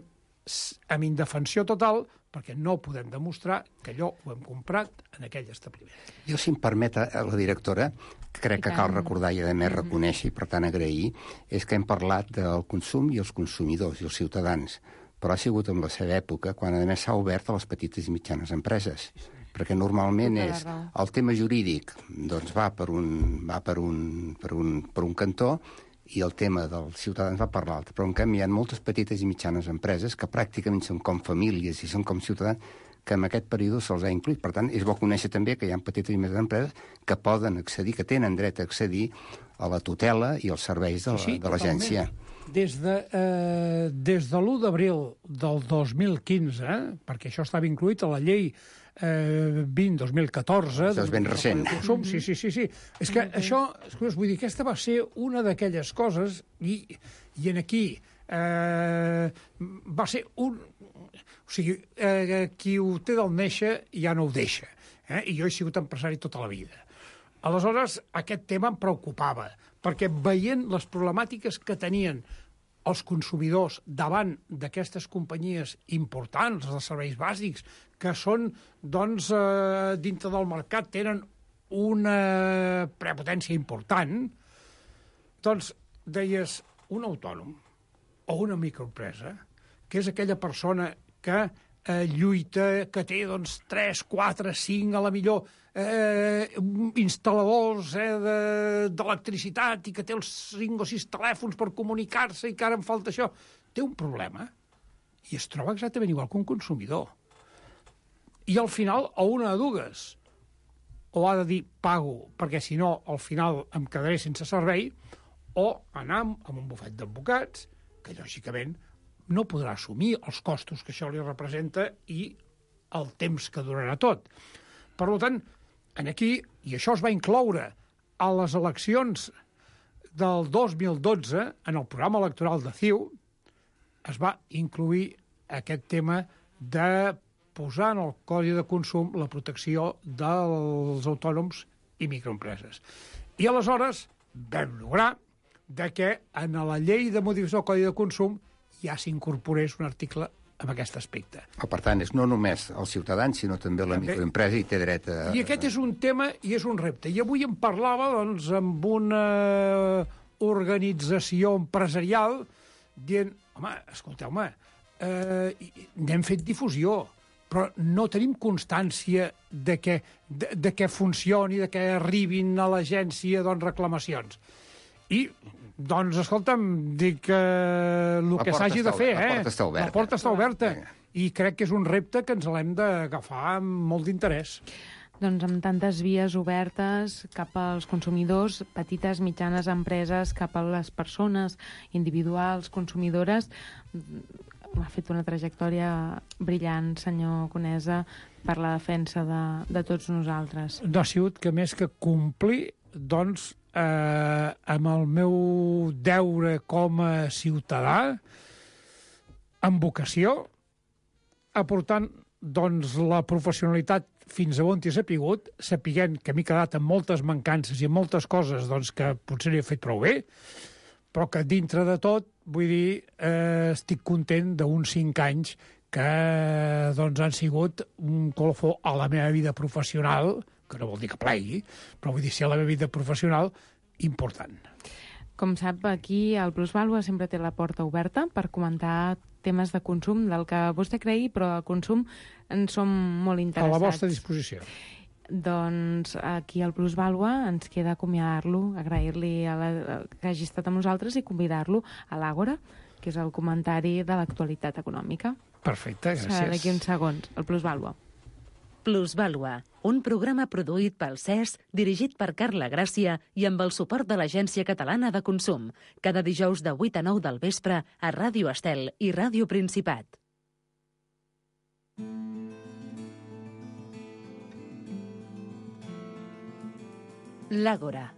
en indefensió total perquè no podem demostrar que allò ho hem comprat en aquell establiment. Jo, si em permet, a la directora, crec que cal recordar i, a més, reconèixer i, per tant, agrair, és que hem parlat del consum i els consumidors i els ciutadans, però ha sigut en la seva època quan, a més, s'ha obert a les petites i mitjanes empreses. Perquè normalment és el tema jurídic, doncs va per un cantó i el tema dels ciutadans va per l'altre. Però en canvi hi ha moltes petites i mitjanes empreses que pràcticament són com famílies i són com ciutadans que en aquest període se'ls ha incluït. Per tant, és bo conèixer també que hi ha petites i mitjanes empreses que poden accedir, que tenen dret a accedir a la tutela i als serveis de l'agència. Des de l'1 d'abril del 2015, perquè això estava incluït a la llei 20-2014... Això és ben recent. Sí. És que això, vull dir, aquesta va ser una d'aquelles coses, i en aquí va ser un... O sigui, qui ho té del néixer ja no ho deixa. I jo he sigut empresari tota la vida. Aleshores, aquest tema em preocupava, perquè veient les problemàtiques que tenien els consumidors davant d'aquestes companyies importants, dels serveis bàsics, que són, doncs, dintre del mercat, tenen una prepotència important, doncs, deies, un autònom o una microempresa, que és aquella persona que lluita, que té, doncs, 3, 4, 5, a la millor, instal·ladors d'electricitat i que té els 5 o 6 telèfons per comunicar-se i que ara em falta això, té un problema i es troba exactament igual que un consumidor. I al final, a una de dues, o ha de dir pago, perquè si no, al final em quedaré sense servei, o anar amb un bufet d'advocats, que lògicament no podrà assumir els costos que això li representa i el temps que durarà tot. Per tant, aquí, i això es va incloure a les eleccions del 2012, en el programa electoral de CiU, es va incluir aquest tema de posar en el Codi de Consum la protecció dels autònoms i microempreses. I aleshores vam lograr que en la llei de modificació del Codi de Consum ja s'incorporés un article en aquest aspecte. Per tant, és no només els ciutadans, sinó també la microempresa i té dret a... I aquest és un tema i és un repte. I avui em parlava, doncs, amb una organització empresarial dient, home, escolteu-me, n'hem fet difusió, però no tenim constància de que funcioni, de que arribin a l'agència, doncs, reclamacions. I, doncs, escolta'm, dic que el que s'hagi de fer, la porta està oberta. La porta està oberta. I crec que és un repte que ens l'hem d'agafar amb molt d'interès. Doncs amb tantes vies obertes cap als consumidors, petites, mitjanes empreses, cap a les persones individuals, consumidores, ha fet una trajectòria brillant, senyor Conesa, per la defensa de tots nosaltres. No ha sigut que més que complir, doncs, amb el meu deure com a ciutadà, amb vocació, aportant, doncs, la professionalitat fins a on t'hi he sapigut, sapiguent que m'he quedat amb moltes mancances i amb moltes coses, doncs, que potser no he fet prou bé, però que dintre de tot, vull dir, estic content d'uns 5 anys que, doncs, han sigut un colofó a la meva vida professional, que no vol dir que plegui, però vull dir, si a la meva vida professional, important. Com sap, aquí el Plusvàlua sempre té la porta oberta per comentar temes de consum, del que vostè cregui, però de consum en som molt interessats. A la vostra disposició. Doncs aquí al Plusvàlua ens queda acomiadar-lo, agrair-li que hagi estat amb nosaltres i convidar-lo a l'Àgora, que és el comentari de l'actualitat econòmica. Perfecte, gràcies. Serà d'aquí uns segons, el Plusvàlua. Plusvàlua, un programa produït pel CES, dirigit per Carla Gràcia i amb el suport de l'Agència Catalana de Consum. Cada dijous de 8 a 9 del vespre a Ràdio Estel i Ràdio Principat. L'Àgora.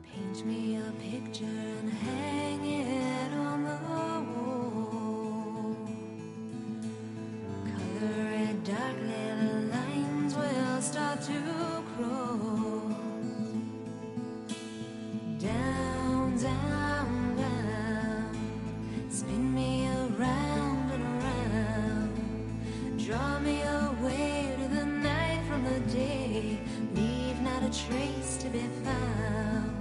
Paint me a picture and hang it on the wall. Color it darkly, the lines will start to cross. Down, down, down. Spin me around and around. Draw me away to the night from the day. Leave not a trace to be found.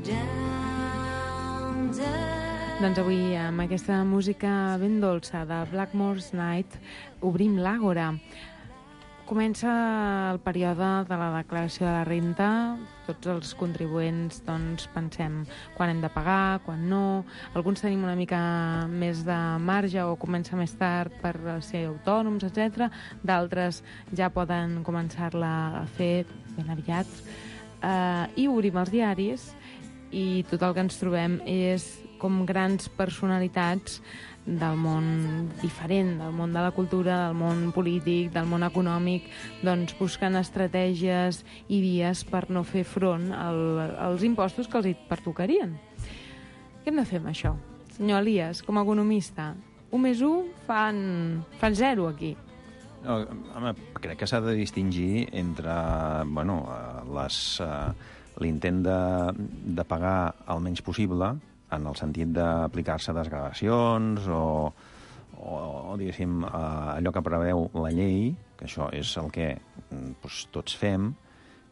Down, down. Doncs avui, amb aquesta música ben dolça de Blackmore's Night, obrim l'Àgora. Comença el període de la declaració de la renta. Tots els contribuents doncs, pensem quan hem de pagar, quan no. Alguns tenim una mica més de marge o comença més tard per ser autònoms, etc. D'altres ja poden començar-la a fer ben aviat. I obrim els diaris i tot el que ens trobem és com grans personalitats del món diferent, del món de la cultura, del món polític, del món econòmic, doncs buscant estratègies i vies per no fer front als impostos que els hi pertocarien. Què hem de fer amb això? Senyor Elias, com a economista, 1 més 1 fan 0 aquí. No, home, crec que s'ha de distingir entre l'intent de pagar el menys possible, en el sentit d'aplicar-se desgravacions o diguéssim, allò que preveu la llei, que això és el que tots fem,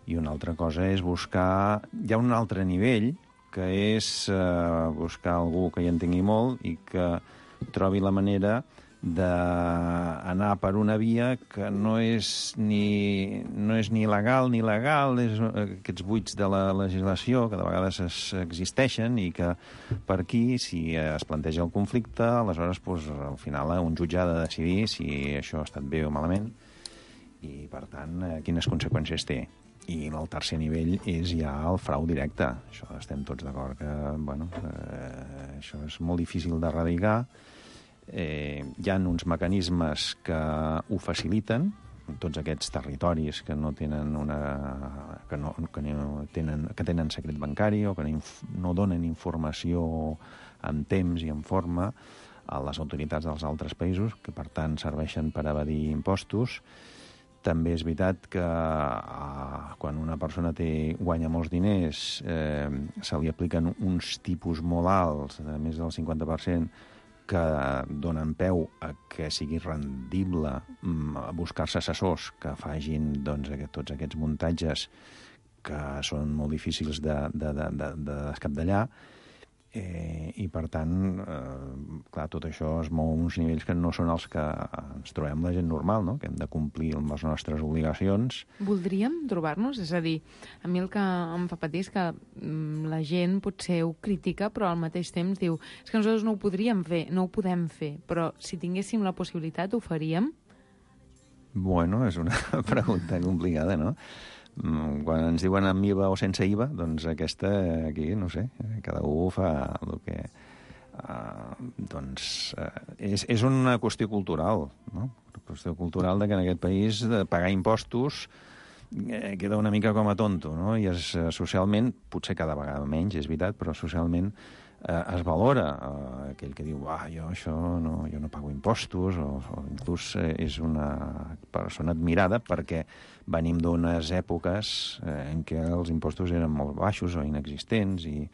i una altra cosa és buscar... Hi ha un altre nivell, que és buscar algú que hi entengui molt i que trobi la manera d'anar per una via que no és ni legal ni legal, és aquests buits de la legislació que de vegades existeixen i que per aquí, si es planteja el conflicte, aleshores al final un jutge ha de decidir si això ha estat bé o malament i, per tant, quines conseqüències té. I el tercer nivell és ja el frau directe. Això estem tots d'acord que això és molt difícil d'erradicar. Hi ha uns mecanismes que ho faciliten, tots aquests territoris que no tenen que tenen secret bancari o que no donen informació en temps i en forma a les autoritats dels altres països, que per tant serveixen per evadir impostos. També és veritat que quan una persona guanya molts diners se li apliquen uns tipus molt alts, de més del 50%, que donen peu a que sigui rendible buscar-se assessors que facin tots aquests muntatges que són molt difícils de descapdallar i, per tant, clar, tot això es mou a uns nivells que no són els que ens trobem la gent normal, no? Que hem de complir amb les nostres obligacions. Voldríem trobar-nos? És a dir, a mi el que em fa patir és que la gent potser ho critica, però al mateix temps diu és que nosaltres no ho podríem fer, no ho podem fer, però si tinguéssim la possibilitat ho faríem? Bueno, és una pregunta complicada, no? Quan ens diuen amb IVA o sense IVA, doncs aquesta aquí, no sé, cada un fa el que... és una qüestió cultural, no? Una qüestió cultural de que en aquest país pagar impostos queda una mica com a tonto, no? I socialment, potser cada vegada menys, és veritat, però socialment es valora aquell que diu jo no pago impostos o inclús és una persona admirada perquè venim d'unes èpoques en què els impostos eren molt baixos o inexistents i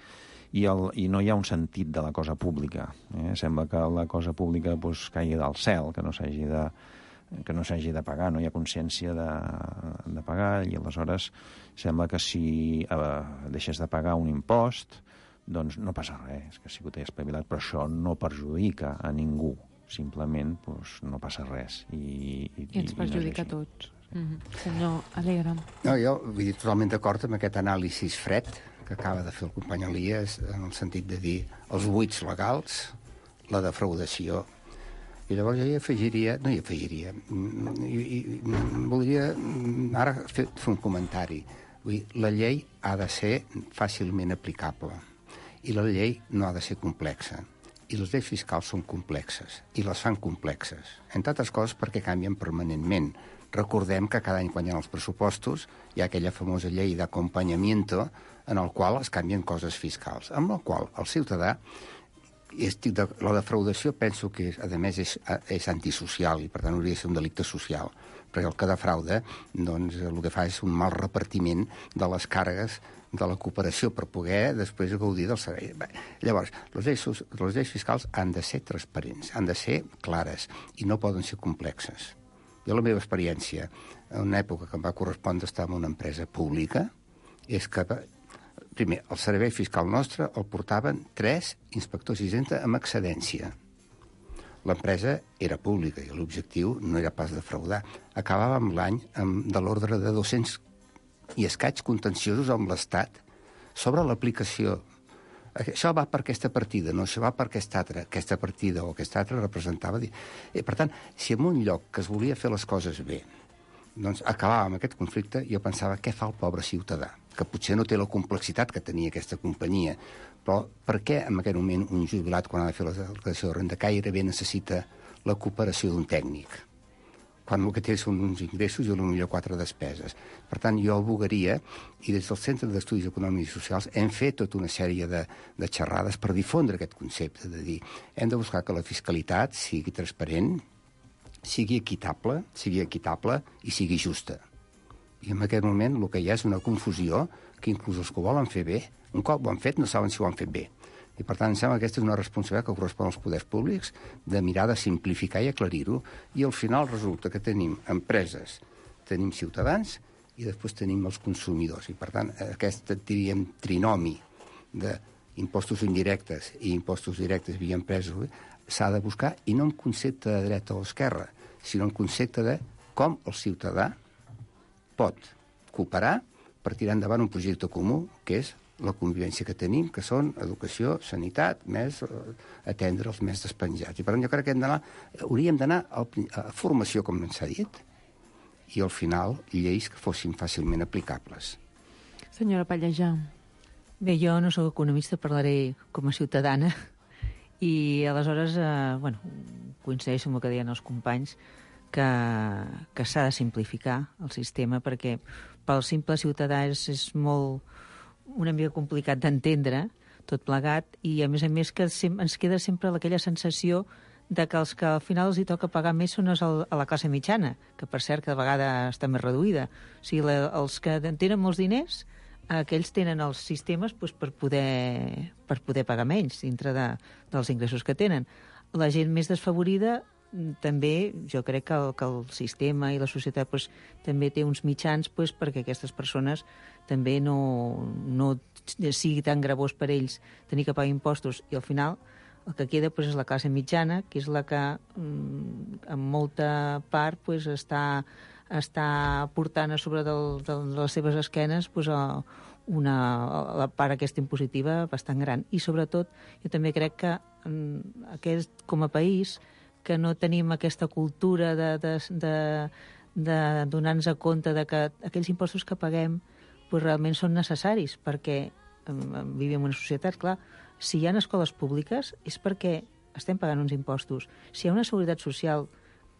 no hi ha un sentit de la cosa pública. Sembla que la cosa pública caigui del cel, que no s'hagi de pagar, no hi ha consciència de pagar i aleshores sembla que si deixes de pagar un impost doncs no passa res, és que sí que t'he espavilat, però això no perjudica a ningú. simplement doncs, no passa res. I ens perjudica a tots. Senyor Alegre. No, jo vull dir totalment d'acord amb aquest anàlisi fred que acaba de fer el company Elias, en el sentit de dir els buits legals, la defraudació. I llavors jo voldria ara fer un comentari. Vull dir, la llei ha de ser fàcilment aplicable i la llei no ha de ser complexa. I les lleis fiscals són complexes i les fan complexes, entre altres coses perquè canvien permanentment. Recordem que cada any quan hi ha els pressupostos hi ha aquella famosa llei d'acompanyamiento en el qual es canvien coses fiscals, amb la qual el ciutadà, la defraudació penso que a més és antisocial i per tant hauria de ser un delicte social, perquè el que defrauda doncs, el que fa és un mal repartiment de les càrregues de la cooperació per poder després gaudir del servei. Llavors, les lleis fiscals han de ser transparents, han de ser clares i no poden ser complexes. Jo, la meva experiència, en una època que em va correspondre estar en una empresa pública, és que, primer, el servei fiscal nostre el portaven 3 inspectors d'Hisenda amb excedència. L'empresa era pública i l'objectiu no era pas defraudar. Acabàvem l'any de l'ordre de 200 i escaig contenciosos amb l'Estat sobre l'aplicació. Això va per aquesta partida, no, això va per aquesta altra. Aquesta partida o aquesta altra representava... Per tant, si en un lloc que es volia fer les coses bé, doncs acabava amb aquest conflicte, jo pensava, què fa el pobre ciutadà? Que potser no té la complexitat que tenia aquesta companyia, però per què en aquest moment un jubilat, quan ha de fer la declaració de renda, gairebé necessita la cooperació d'un tècnic? Quan el que té són uns ingressos i potser 4 despeses. Per tant, jo advocaria, i des del Centre d'Estudis Econòmics i Socials hem fet tota una sèrie de xerrades per difondre aquest concepte, de dir, hem de buscar que la fiscalitat sigui transparent, sigui equitable i sigui justa. I en aquest moment el que hi ha és una confusió que inclús els que ho volen fer bé, un cop ho han fet no saben si ho han fet bé. I, per tant, em sembla que aquesta és una responsabilitat que correspon als poders públics de mirar de simplificar i aclarir-ho, i al final resulta que tenim empreses, tenim ciutadans i després tenim els consumidors. I, per tant, aquest, diríem, trinomi d'impostos indirectes i impostos directes via empreses s'ha de buscar, i no en concepte de dreta o esquerra, sinó en concepte de com el ciutadà pot cooperar per tirar endavant un projecte comú, que és la convivència que tenim, que són educació, sanitat, més atendre els més despenjats. I per tant jo crec que hauríem d'anar a formació, com s'ha dit, i al final lleis que fossin fàcilment aplicables. Senyora Pallejà. Bé, jo no sóc economista, parlaré com a ciutadana, i aleshores, coincideixo amb el que deien els companys, que s'ha de simplificar el sistema, perquè pel simple ciutadà és molt una mica complicat d'entendre tot plegat, i a més que ens queda sempre aquella sensació de que els que al final els hi toca pagar més són a la classe mitjana, que per cert cada vegada està més reduïda. O sigui, els que tenen molts diners, aquells tenen els sistemes per poder pagar menys dintre dels ingressos que tenen. La gent més desfavorida també, jo crec que el sistema i la societat també té uns mitjans perquè aquestes persones també no sigui tan gravós per ells tenir que pagar impostos, i al final el que queda és la classe mitjana, que és la que en molta part està portant a sobre de les seves esquenes la part aquesta impositiva bastant gran. I sobretot jo també crec que com a país que no tenim aquesta cultura de donar-nos compte de que aquells impostos que paguem realment són necessaris, perquè vivim en una societat, clar, si hi ha escoles públiques és perquè estem pagant uns impostos. Si hi ha una seguretat social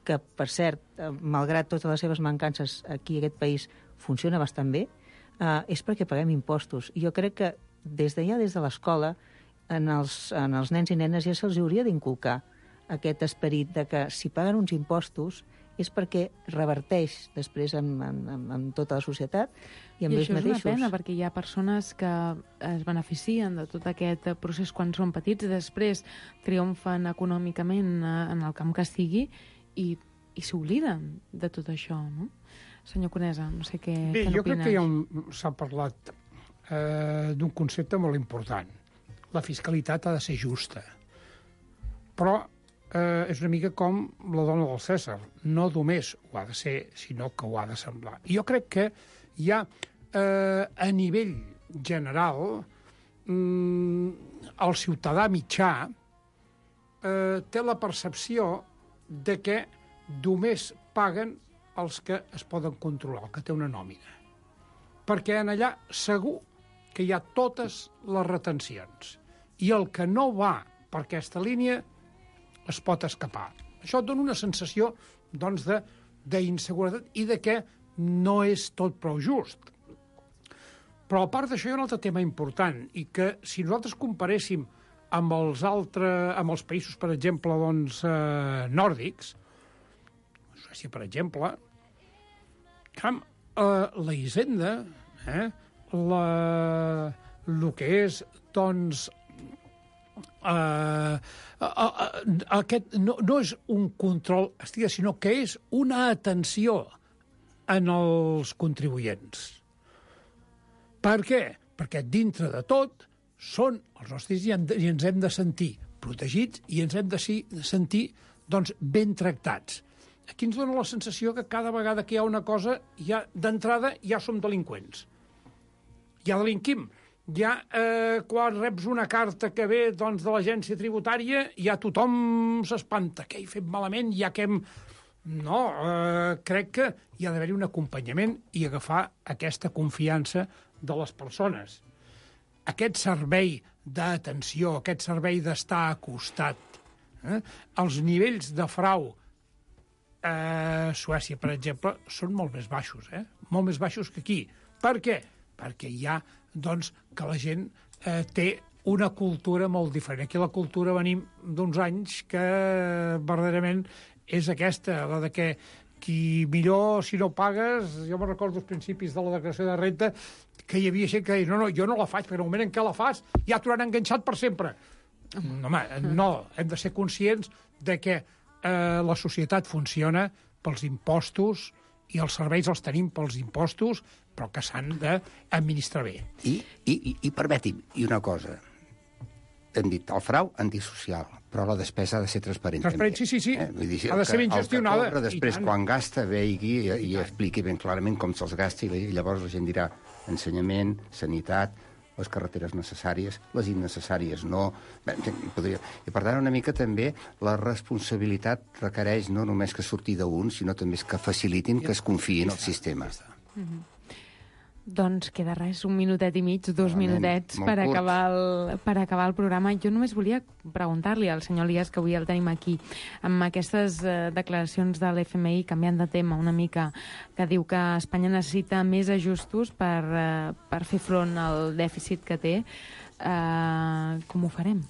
que, per cert, malgrat totes les seves mancances, aquí a aquest país funciona bastant bé, és perquè paguem impostos. I jo crec que des de l'escola, en els nens i nenes ja se'ls hauria d'inculcar aquest esperit de que si paguen uns impostos és perquè reverteix després en tota la societat i amb ells mateixos. I això és una pena, perquè hi ha persones que es beneficien de tot aquest procés quan són petits, després triomfen econòmicament en el camp que sigui i s'obliden de tot això, no? Senyor Conesa, no sé què n'opines. Bé, jo crec que ja s'ha parlat d'un concepte molt important. La fiscalitat ha de ser justa. Però és una mica com la dona del Cèsar. No només ho ha de ser, sinó que ho ha de semblar. I jo crec que hi ha, a nivell general, el ciutadà mitjà té la percepció de que només paguen els que es poden controlar, el que té una nòmina. Perquè en allà segur que hi ha totes les retencions. I el que no va per aquesta línia es pot escapar. Això et dona una sensació, doncs, d'inseguretat i de que no és tot prou just. Però a part d'això hi ha un altre tema important, i que si nosaltres comparéssim amb els països, per exemple, doncs, nòrdics, Suècia, per exemple, la Hisenda, el que és, doncs, aquest no és un control, sinó que és una atenció en els contribuents. Per què? Perquè dintre de tot són els nostres i ens hem de sentir protegits i ens hem de sentir, doncs, ben tractats. Aquí ens dona la sensació que cada vegada que hi ha una cosa, ja d'entrada ja som delinqüents. Ja delinquim. Ja quan reps una carta que ve, doncs, de l'agència tributària, ja tothom s'espanta. Què he fet malament? Ja que hem... No, crec que hi ha d'haver-hi un acompanyament i agafar aquesta confiança de les persones. Aquest servei d'atenció, aquest servei d'estar acostat, els nivells de frau a Suècia, per exemple, són molt més baixos, molt més baixos que aquí. Per què? Perquè hi ha, doncs, que la gent té una cultura molt diferent. Aquí la cultura venim d'uns anys que verdaderament és aquesta, la de que qui millor, si no pagues, jo me'n recordo els principis de la declaració de renta, que hi havia gent que deia, no, jo no la faig, perquè en el moment en què la fas ja t'ho han enganxat per sempre. No, home, no, hem de ser conscients de que la societat funciona pels impostos i els serveis els tenim pels impostos, però que s'han d'administrar bé. I permeti'm, i una cosa, hem dit el frau antisocial, però la despesa ha de ser transparent. Transparent, també. sí. Vull dir, Ha de ser ben gestionada. El que cobra després, quan gasta, vegi i expliqui ben clarament com se'ls gasta, i llavors la gent dirà ensenyament, sanitat, les carreteres necessàries, les innecessàries no. Bé, I per tant, una mica també la responsabilitat requereix no només que surti d'un, sinó també que facilitin que es confiï en el sistema. Doncs queda res, 1 minutet i mig, 2 minutets per acabar el programa. Jo només volia preguntar-li al senyor Elias, que avui el tenim aquí, amb aquestes declaracions de l'FMI, canviant de tema una mica, que diu que Espanya necessita més ajustos per fer front al dèficit que té. Com ho farem?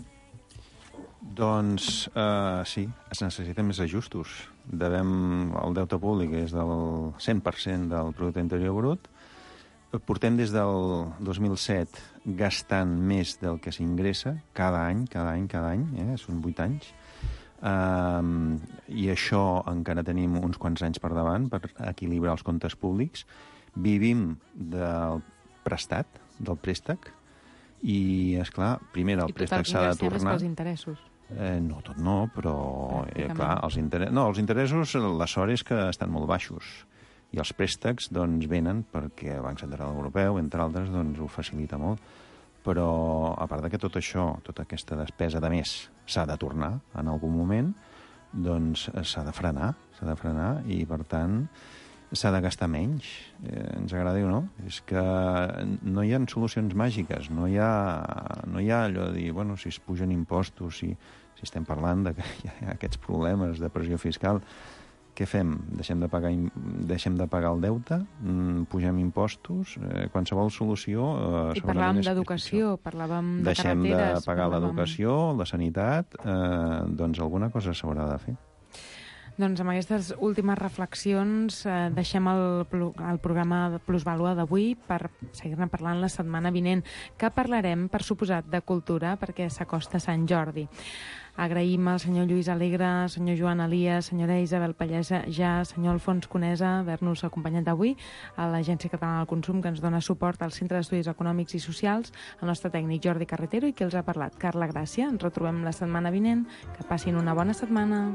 Doncs sí, es necessiten més ajustos. El deute públic és del 100% del producte interior brut. Portem des del 2007 gastant més del que s'ingressa cada any, són 8 anys. I això encara tenim uns quants anys per davant per equilibrar els comptes públics. Vivim del prestat, del préstec, i, esclar, primer el préstec s'ha de tornar... I tot el que els interessos. No, tot no, però, clar, els interessos, la sort és que estan molt baixos. I els préstecs, doncs, venen perquè el Banc Central Europeu, entre altres, doncs, ho facilita molt. Però, a part de que tot això, tota aquesta despesa de més s'ha de tornar en algun moment, doncs s'ha de frenar i, per tant, s'ha de gastar menys. Ens agradi o no? És que no hi ha solucions màgiques, no hi ha allò de dir, bueno, si es pugen impostos, si estem parlant de que hi ha aquests problemes de pressió fiscal, què fem? Deixem de pagar el deute? Pugem impostos? Qualsevol solució... I parlàvem d'educació, parlàvem de carreteres... Deixem de pagar l'educació, la sanitat, doncs alguna cosa s'haurà de fer. Doncs amb aquestes últimes reflexions deixem el programa de Plusvàlua d'avui per seguir-ne parlant la setmana vinent, que parlarem, per suposat, de cultura, perquè s'acosta Sant Jordi. Agraïm al senyor Lluís Alegre, senyor Joan Elias, senyora Isabel Pallesa, senyor Alfons Conesa, haver-nos acompanyat avui, a l'Agència Catalana del Consum, que ens dona suport al Centre d'Estudis Econòmics i Socials, el nostre tècnic Jordi Carretero i qui els ha parlat, Carla Gràcia. Ens retrobem la setmana vinent. Que passin una bona setmana.